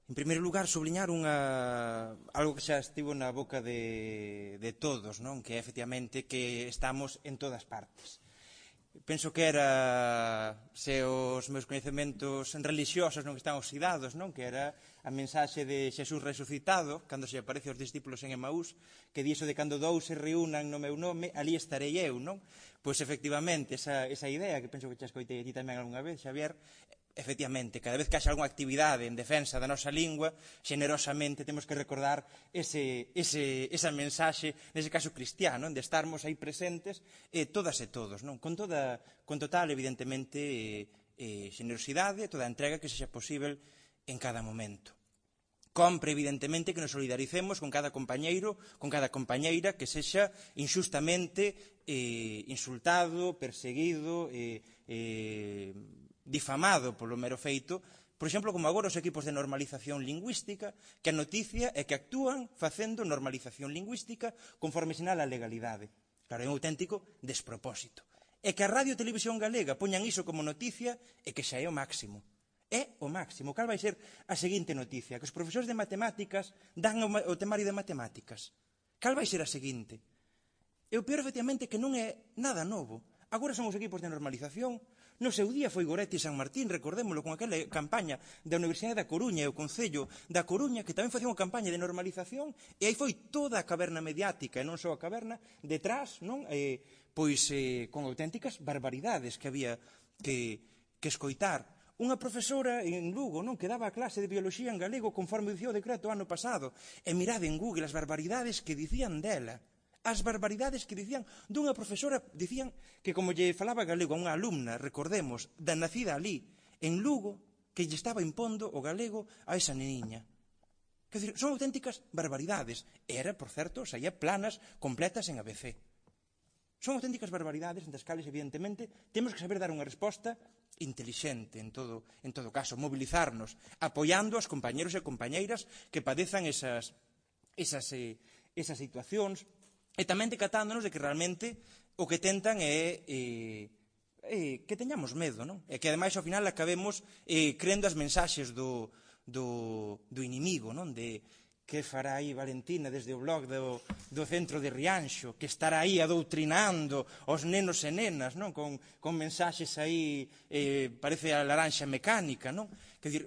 En primeiro lugar, subliñar unha, algo que xa estivo na boca de, de todos, non? Que é, efectivamente, que estamos en todas partes. Penso que era, se os meus coñecementos religiosos non están oxidados, non? Que era a mensaxe de Xesús resucitado, cando se aparece aos discípulos en Emaús, que di iso de cando dous se reúnan no meu nome, ali estarei eu, non? Pois, efectivamente, esa, esa idea, que penso que xa escoitei aquí tamén algunha vez, Xavier, efectivamente, cada vez que haxa algunha actividade en defensa da nosa lingua, xenerosamente temos que recordar ese, ese, esa mensaxe, nese caso cristiano, de estarmos aí presentes, eh, todas e todos, non? Con, toda, con total, evidentemente, eh, eh, xenerosidade, toda a entrega que sexa posible en cada momento. Compre, evidentemente, que nos solidaricemos con cada compañeiro, con cada compañeira que sexa injustamente eh, insultado, perseguido, eh, eh, difamado polo mero feito, por exemplo, como agora os equipos de normalización lingüística, que a noticia é que actúan facendo normalización lingüística conforme sinala a legalidade. Claro, é un auténtico despropósito. E que a Radio e Televisión Galega poñan iso como noticia é que xa é o máximo. É o máximo. Cal vai ser a seguinte noticia? Que os profesores de matemáticas dan o temario de matemáticas. Cal vai ser a seguinte? E o peor, efectivamente, que non é nada novo. Agora son os equipos de normalización. No seu día foi Goretti e San Martín, recordémolo, con aquela campaña da Universidade da Coruña e o Concello da Coruña, que tamén facía unha campaña de normalización, e aí foi toda a caverna mediática, e non só a caverna, detrás, non? Eh, pois eh, con auténticas barbaridades que había que, que escoitar. Unha profesora en Lugo, non, que daba a clase de bioloxía en galego conforme dicía o decreto ano pasado, e mirade en Google as barbaridades que dicían dela. As barbaridades que dicían dunha profesora, dicían que como lle falaba galego a unha alumna, recordemos, da nacida ali, en Lugo, que lle estaba impondo o galego a esa neniña. Quer dizer, son auténticas barbaridades. E era, por certo, saía planas completas en A B C. Son auténticas barbaridades, entre as cales, evidentemente, temos que saber dar unha resposta intelixente, en todo, en todo caso, mobilizarnos, apoiando aos compañeros e compañeiras que padezan esas, esas, eh, esas situacións, e tamén decatándonos de que realmente o que tentan é eh, eh, que teñamos medo, non? E que ademais ao final acabemos eh, crendo as mensaxes do, do, do inimigo, non? De que fará aí Valentina desde o blog do, do centro de Rianxo, que estará aí adoutrinando os nenos e nenas, non? Con, con mensaxes aí, eh, parece a laranxa mecánica, non? Quer dizer,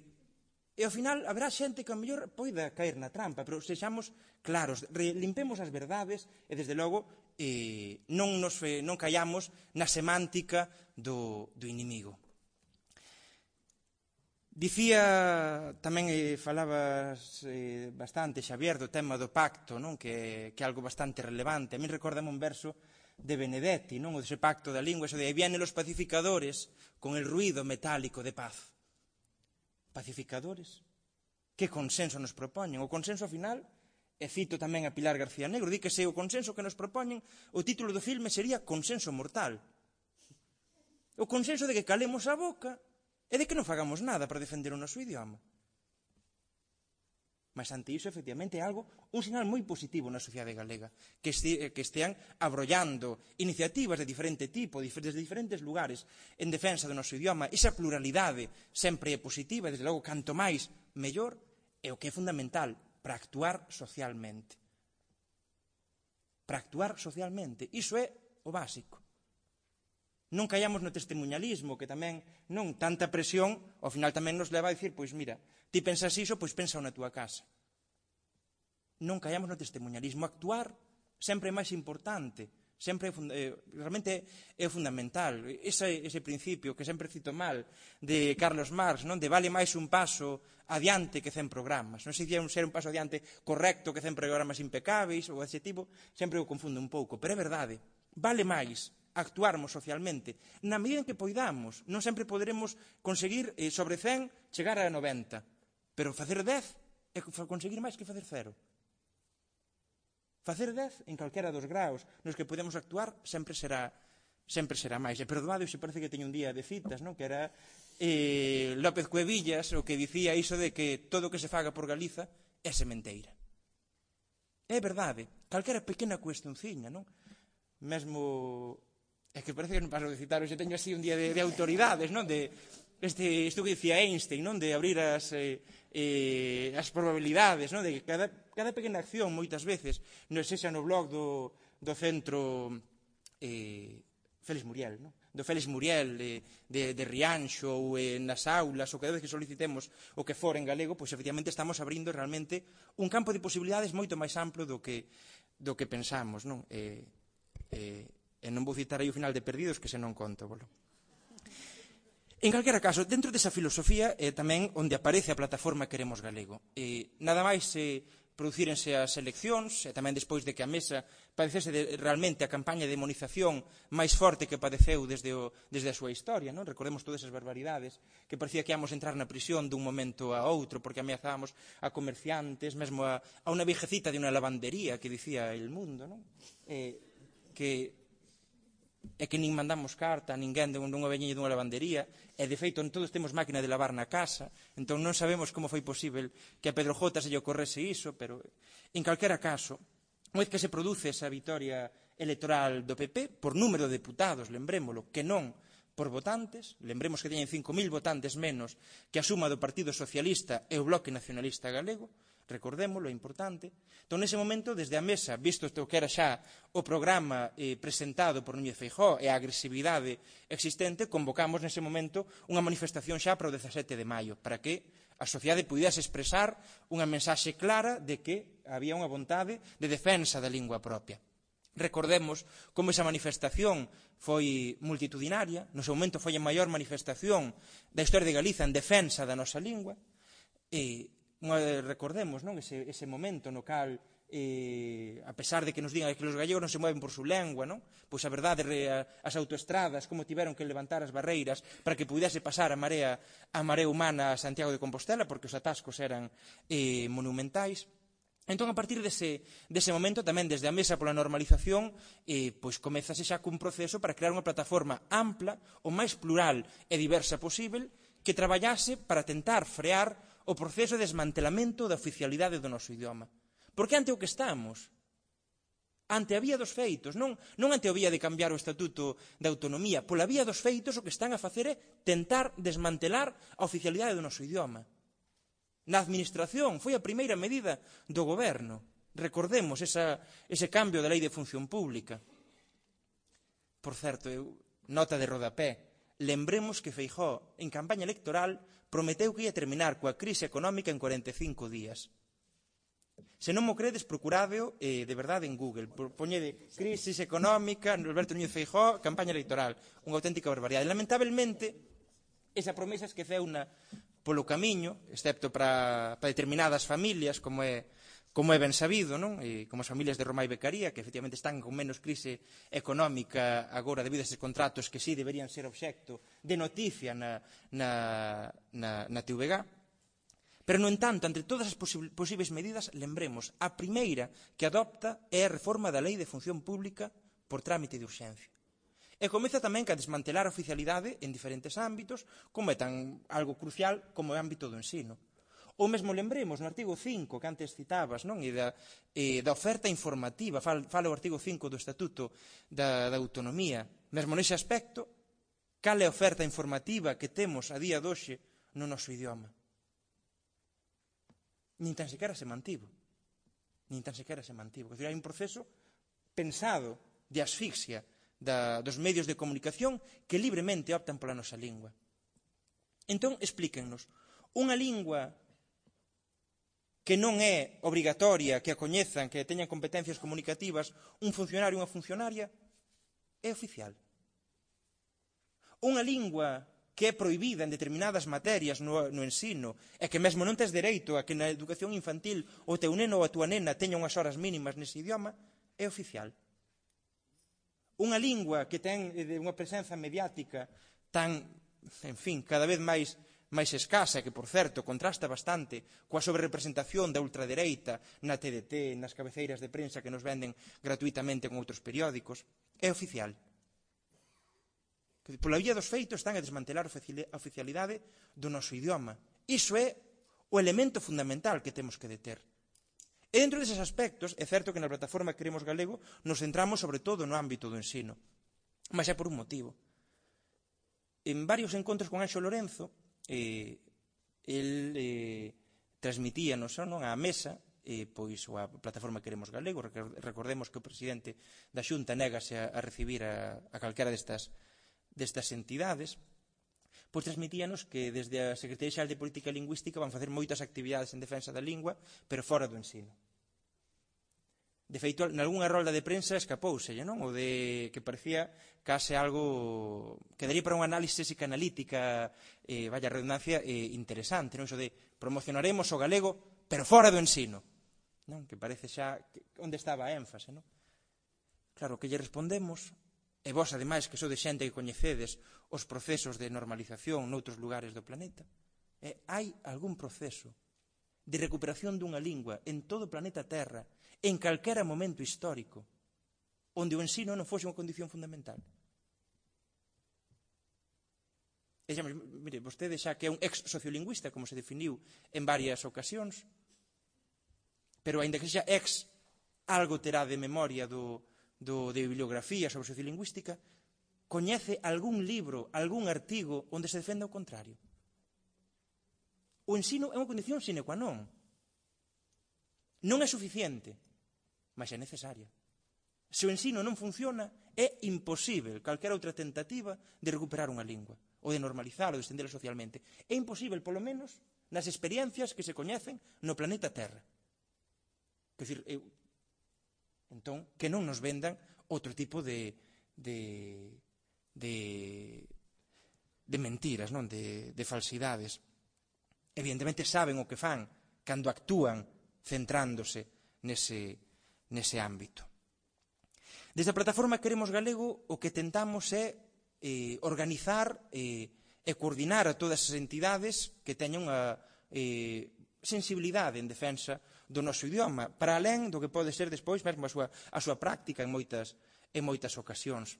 e ao final haberá xente que a mellor poida caer na trampa, pero sexamos claros, limpemos as verdades e, desde logo, eh, non, nos, eh, non callamos na semántica do, do inimigo. Dicía, tamén eh, falabas eh, bastante, Xavier, do tema do pacto, non? Que, que é algo bastante relevante. A mí recórdame un verso de Benedetti, non? O dese pacto da lingua, eso de aí vienen los pacificadores con el ruido metálico de paz. Pacificadores? Que consenso nos propoñen? O consenso final, e cito tamén a Pilar García Negro, di que se o consenso que nos propoñen, o título do filme sería Consenso Mortal. O consenso de que calemos a boca e de que non fagamos nada para defender o noso idioma. Mas ante iso, efectivamente, é algo, un sinal moi positivo na sociedade galega, que, este, que estean abrollando iniciativas de diferente tipo, desde diferentes lugares, en defensa do noso idioma. Esa pluralidade sempre é positiva, desde logo, canto máis, mellor, é o que é fundamental para actuar socialmente. Para actuar socialmente. Iso é o básico. Non callamos no testemunhalismo, que tamén, non, tanta presión, ao final tamén nos leva a dicir, pois mira, ti pensas iso, pois pensa na túa casa. Non callamos no testemunhalismo. Actuar sempre é máis importante, sempre é, realmente é fundamental. Ese, ese principio que sempre cito mal de Carlos Marx, non, de vale máis un paso adiante que cen programas. Non sei se ser un paso adiante correcto que cen programas impecáveis ou adxetivo, sempre o confundo un pouco, pero é verdade. Vale máis actuarmos socialmente na medida en que poidamos. Non sempre poderemos conseguir eh, sobre cen chegar a noventa, pero facer dez é conseguir máis que facer cero. Facer dez en calquera dos graos nos que podemos actuar sempre será sempre será máis. E perdoade, se parece que teño un día de citas, non? Que era eh, López Cuevillas o que dicía iso de que todo o que se faga por Galiza é sementeira. É verdade, calquera pequena cuestionciña, non? Mesmo, é que parece que non paso de citar, hoxe teño así un día de, de autoridades, non? De, este, isto que dicía Einstein, non? De abrir as, eh, eh, as probabilidades, non? De que cada, cada pequena acción, moitas veces, non sexa no blog do, do centro eh, Félix Muriel, non? Do Félix Muriel, de, de, de Rianxo, ou eh, nas aulas, ou cada vez que solicitemos o que for en galego, pois efectivamente estamos abrindo realmente un campo de posibilidades moito máis amplo do que, do que pensamos, non? E, eh, e non vou citar aí o final de Perdidos, que se non conto, bolo. En calquera caso, dentro desa filosofía é eh, tamén onde aparece a plataforma Queremos Galego. Eh, nada máis eh, producírense as eleccións, e tamén despois de que a Mesa padecese de, realmente a campaña de demonización máis forte que padeceu desde, o, desde a súa historia, non? Recordemos todas esas barbaridades, que parecía que íamos entrar na prisión dun momento a outro, porque ameazábamos a comerciantes, mesmo a, a unha viejecita de unha lavandería, que dicía El Mundo, non? Eh, que... é que nin mandamos carta a ninguén dunha veñeña dunha lavandería, e de feito todos temos máquina de lavar na casa, entón non sabemos como foi posible que a Pedro Jota se lle ocorrese iso, pero en calquera caso, unha vez que se produce esa vitoria electoral do P P, por número de deputados, lembrémolo, que non por votantes, lembremos que teñen cinco mil votantes menos que a suma do Partido Socialista e o Bloque Nacionalista Galego, recordémolo, é importante. Entón, nese momento, desde a Mesa, visto o que era xa o programa eh, presentado por Núñez Feijóo e a agresividade existente, convocamos nese momento unha manifestación xa para o dezasete de maio, para que a sociedade pudese expresar unha mensaxe clara de que había unha vontade de defensa da lingua propia. Recordemos como esa manifestación foi multitudinaria, no seu momento foi a maior manifestación da historia de Galiza en defensa da nosa lingua, e recordemos, non, ese, ese momento no cal, eh, a pesar de que nos digan que os gallegos non se mueven por su lengua, non? Pois a verdade, as autoestradas, como tiveron que levantar as barreiras para que pudese pasar a marea, a marea humana a Santiago de Compostela, porque os atascos eran eh, monumentais. Entón, a partir dese, dese momento, tamén desde a Mesa pola normalización, eh, pois comezase xa cun proceso para crear unha plataforma ampla, o máis plural e diversa posible, que traballase para tentar frear o proceso de desmantelamento da oficialidade do noso idioma. Porque ante o que estamos, ante a vía dos feitos, non, non ante o vía de cambiar o estatuto de autonomía, pola vía dos feitos o que están a facer é tentar desmantelar a oficialidade do noso idioma. Na administración foi a primeira medida do goberno. Recordemos esa, ese cambio da lei de función pública. Por certo, eu, nota de rodapé, lembremos que Feijóo, en campaña electoral, prometeu que ia terminar coa crise económica en cuarenta e cinco días. Se non mo credes, procurádeo eh, de verdade en Google. Poñede crisis económica, Alberto Núñez Feijóo, campaña electoral. Unha auténtica barbaridade. Lamentablemente, esa promesa esqueceuna polo camiño, excepto para, para determinadas familias, como é, como é ben sabido, non? E como as familias de Roma e Becaría, que efectivamente están con menos crise económica agora debido a esses contratos que sí deberían ser obxecto de noticia na, na, na, na T V G. Pero, no entanto, entre todas as posibles medidas, lembremos, a primeira que adopta é a reforma da Lei de Función Pública por trámite de urxencia. E comeza tamén a desmantelar a oficialidade en diferentes ámbitos, como é tan algo crucial como é o ámbito do ensino. Ou mesmo lembremos no artigo cinco que antes citabas, non? E da, e da oferta informativa, fala, fala o artigo cinco do Estatuto da, da Autonomía. Mesmo nese aspecto, cal é a oferta informativa que temos a día doxe no noso idioma? Nin tan sequera se mantivo. Nin tan sequera se mantivo. Quer dizer, hai un proceso pensado de asfixia da, dos medios de comunicación que libremente optan pola nosa lingua. Entón, explíquennos, unha lingua que non é obrigatoria que a coñezan, que teñan competencias comunicativas, un funcionario ou unha funcionaria, é oficial. Unha lingua que é prohibida en determinadas materias no, no ensino e que mesmo non tes dereito a que na educación infantil o teu neno ou a tua nena teña unhas horas mínimas nese idioma, é oficial. Unha lingua que ten unha presenza mediática tan, en fin, cada vez máis máis escasa, que, por certo, contrasta bastante coa sobrerepresentación da ultradereita na T D T, nas cabeceiras de prensa que nos venden gratuitamente con outros periódicos, é oficial. Pola vía dos feitos están a desmantelar a oficialidade do noso idioma. Iso é o elemento fundamental que temos que deter. E dentro deses aspectos, é certo que na plataforma Queremos Galego nos centramos sobre todo no ámbito do ensino. Mas é por un motivo. en varios encontros con Anxo Lorenzo, eh, el eh, transmitíanos non, á mesa, eh, pois a plataforma Queremos Galego. Recordemos que o presidente da Xunta négase a, a recibir a, a calquera destas, destas entidades. Pois transmitíanos que desde a Secretaría Xeral de Política Lingüística van facer moitas actividades en defensa da lingua, pero fora do ensino. De feito, nalgúnha rolda de prensa escapouselle, non? O de que parecía case algo que daría para unha análise psicanalítica, eh, vaya redundancia, eh, interesante, non? Iso de promocionaremos o galego, pero fora do ensino, non? Que parece xa que, onde estaba a énfase, non? Claro, que lle respondemos, e vos, ademais, que sodes xente que coñecedes os procesos de normalización noutros lugares do planeta, eh, hai algún proceso de recuperación dunha lingua en todo o planeta Terra, en calquera momento histórico, onde o ensino non fose unha condición fundamental. E xa, mire, vostede xa que é un ex-sociolingüista, como se definiu en varias ocasións, pero aínda que xa ex, algo terá de memoria do, do, de bibliografía sobre sociolingüística, coñece algún libro, algún artigo onde se defenda o contrario. O ensino é unha condición sine qua non. Non é suficiente, mas é necesaria. Se o ensino non funciona, é imposible calquera outra tentativa de recuperar unha lingua, ou de normalizar, ou de estendela socialmente. É imposible, polo menos, nas experiencias que se coñecen no planeta Terra. Quer dizer, eu, entón, que non nos vendan outro tipo de, de, de, de mentiras, non? De, de falsidades. Evidentemente saben o que fan cando actúan centrándose nese, nese ámbito. Desde a plataforma Queremos Galego o que tentamos é eh, organizar eh, e coordinar a todas as entidades que teñan unha eh, sensibilidade en defensa do noso idioma, para alén do que pode ser despois mesmo a súa, a súa práctica en moitas, en moitas ocasións.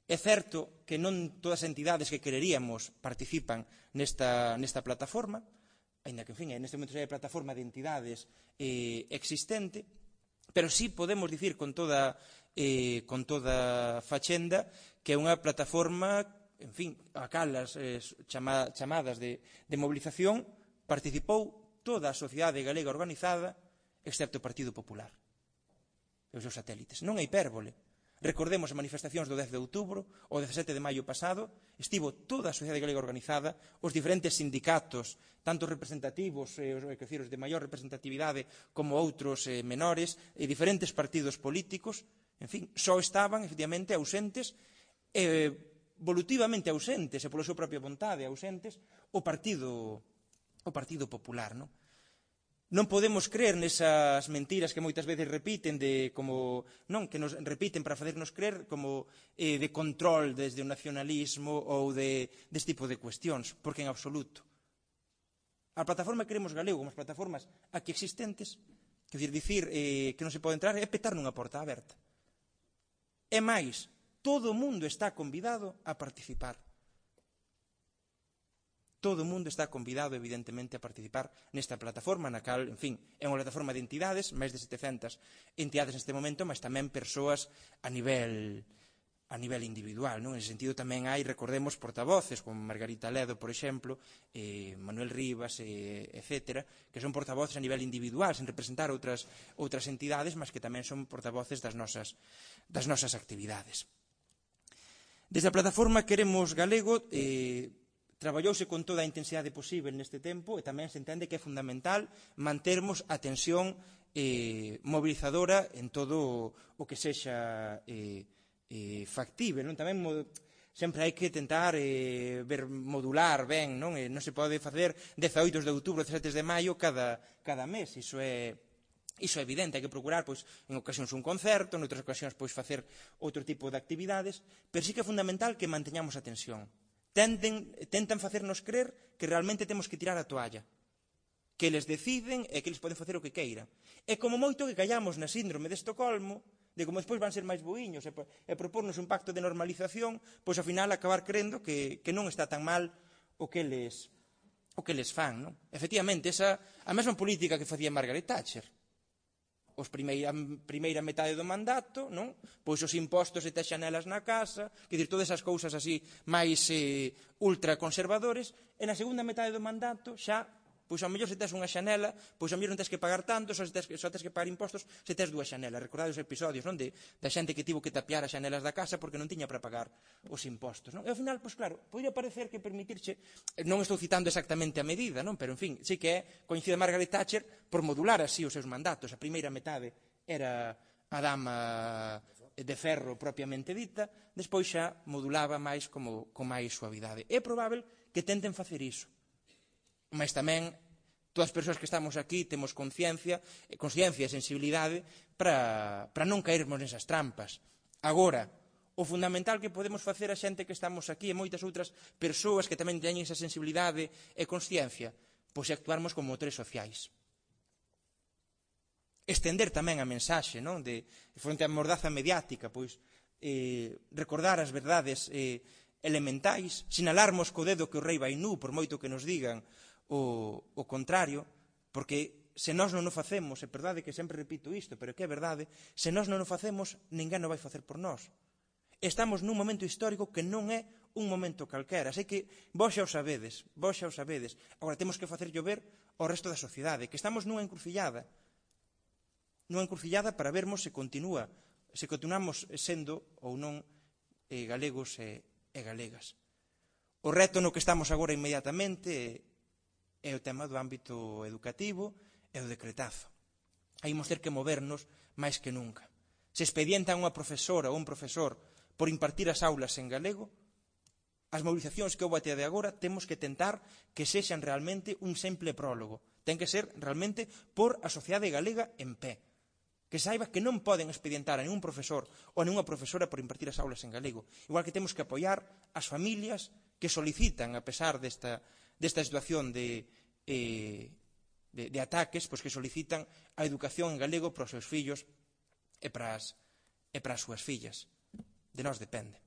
É certo que non todas as entidades que quereríamos participan nesta, nesta plataforma, ainda que, en fin, neste momento é a plataforma de entidades eh, existente, pero sí podemos dicir con toda, eh, con toda fachenda que é unha plataforma, en fin, a cal as eh, chama, chamadas de, de movilización participou toda a sociedade galega organizada, excepto o Partido Popular e os seus satélites. Non é hipérbole. Recordemos as manifestacións do dez de outubro, o dezasete de maio pasado, estivo toda a sociedade galega organizada, os diferentes sindicatos, tanto representativos, eh, quer dizer, os de maior representatividade, como outros eh, menores, e diferentes partidos políticos, en fin, só estaban, efectivamente, ausentes, eh, volutivamente ausentes, e pola súa propia vontade ausentes, o Partido, o Partido Popular, non? Non podemos creer nesas mentiras que moitas veces repiten de como, non, que nos repiten para facernos creer como eh, de control desde o nacionalismo ou de deste tipo de cuestións, porque en absoluto. A plataforma Queremos Galego, como as plataformas aquí existentes, quer dizer, dicir eh, que non se pode entrar é petar nunha porta aberta. É máis, todo o mundo está convidado a participar. Todo o mundo está convidado, evidentemente, a participar nesta plataforma, na cal, en fin, é unha plataforma de entidades, máis de setecentas entidades neste momento, mas tamén persoas a nivel, a nivel individual, non? En ese sentido tamén hai, recordemos, portavoces, como Margarita Ledo, por exemplo, eh, Manuel Rivas, eh, etcétera, que son portavoces a nivel individual, sen representar outras, outras entidades, mas que tamén son portavoces das nosas, das nosas actividades. Desde a plataforma Queremos Galego, eh, traballouse con toda a intensidade posible neste tempo e tamén se entende que é fundamental mantermos a tensión eh, mobilizadora en todo o que sexa eh, eh, factible. Non? Tamén sempre hai que tentar eh, ver modular ben, non? E non se pode facer dezaoito de outubro, dezasete de maio cada, cada mes, iso é Iso é evidente, hai que procurar, pois, en ocasións un concerto, en outras ocasións, pois, facer outro tipo de actividades, pero sí que é fundamental que manteñamos a tensión. Tenden, tentan facernos creer que realmente temos que tirar a toalla, que eles deciden e que eles poden facer o que queiran. E como moito que callamos na síndrome de Estocolmo, de como despois van ser máis boiños e, e propornos un pacto de normalización, pois ao final acabar crendo que, que non está tan mal o que eles, o que eles fan. Non? Efectivamente, esa, a mesma política que facía Margaret Thatcher. os primeira, primeira metade do mandato, non? Pois os impostos e tes xanelas na casa, quer dizer, todas esas cousas así máis eh, ultraconservadores, e na segunda metade do mandato xa, pois ao mellor se tes unha xanela, pois ao mellor non tes que pagar tanto, só, tes, só tes que pagar impostos se tes dúas xanelas. Recordade os episodios, non? De, da xente que tivo que tapiar as xanelas da casa porque non tiña para pagar os impostos, non? E ao final, pois claro, podría parecer que permitirche, non estou citando exactamente a medida, non? Pero en fin, sí que é, coincide Margaret Thatcher por modular así os seus mandatos. A primeira metade era a dama de ferro propiamente dita, despois xa modulaba máis como, con máis suavidade. É probável que tenten facer iso. Mas tamén todas as persoas que estamos aquí temos conciencia, conciencia e sensibilidade para, para non caermos nesas trampas. Agora, o fundamental que podemos facer a xente que estamos aquí e moitas outras persoas que tamén teñen esa sensibilidade e consciencia, pois é actuarmos como motores sociais. Estender tamén a mensaxe, non? De, fronte á mordaza mediática, pois eh, recordar as verdades eh, elementais, sinalarmos co dedo que o rei vai nu, por moito que nos digan o, o contrario, porque se nós non o facemos, é verdade que sempre repito isto, pero que é verdade, se nós non o facemos, ninguén o vai facer por nós. Estamos nun momento histórico que non é un momento calquera, sei que vos xa o sabedes, vos xa o sabedes, agora temos que facer llover ao resto da sociedade, que estamos nunha encrucillada, nunha encrucillada para vermos se continúa, se continuamos sendo ou non eh, galegos e, e galegas. O reto no que estamos agora inmediatamente é o tema do ámbito educativo e o decretazo. Aí imos ter que movernos máis que nunca. Se expedientan unha profesora ou un profesor por impartir as aulas en galego, as movilizacións que houve até de agora temos que tentar que sexan realmente un simple prólogo. Ten que ser realmente por a sociedade galega en pé. Que saiba que non poden expedientar a ningún profesor ou a ninguna profesora por impartir as aulas en galego. Igual que temos que apoiar as familias que solicitan, a pesar desta, desta situación de, eh, de, de ataques, pois que solicitan a educación en galego para os seus fillos e para as, e para as súas fillas. De nós depende.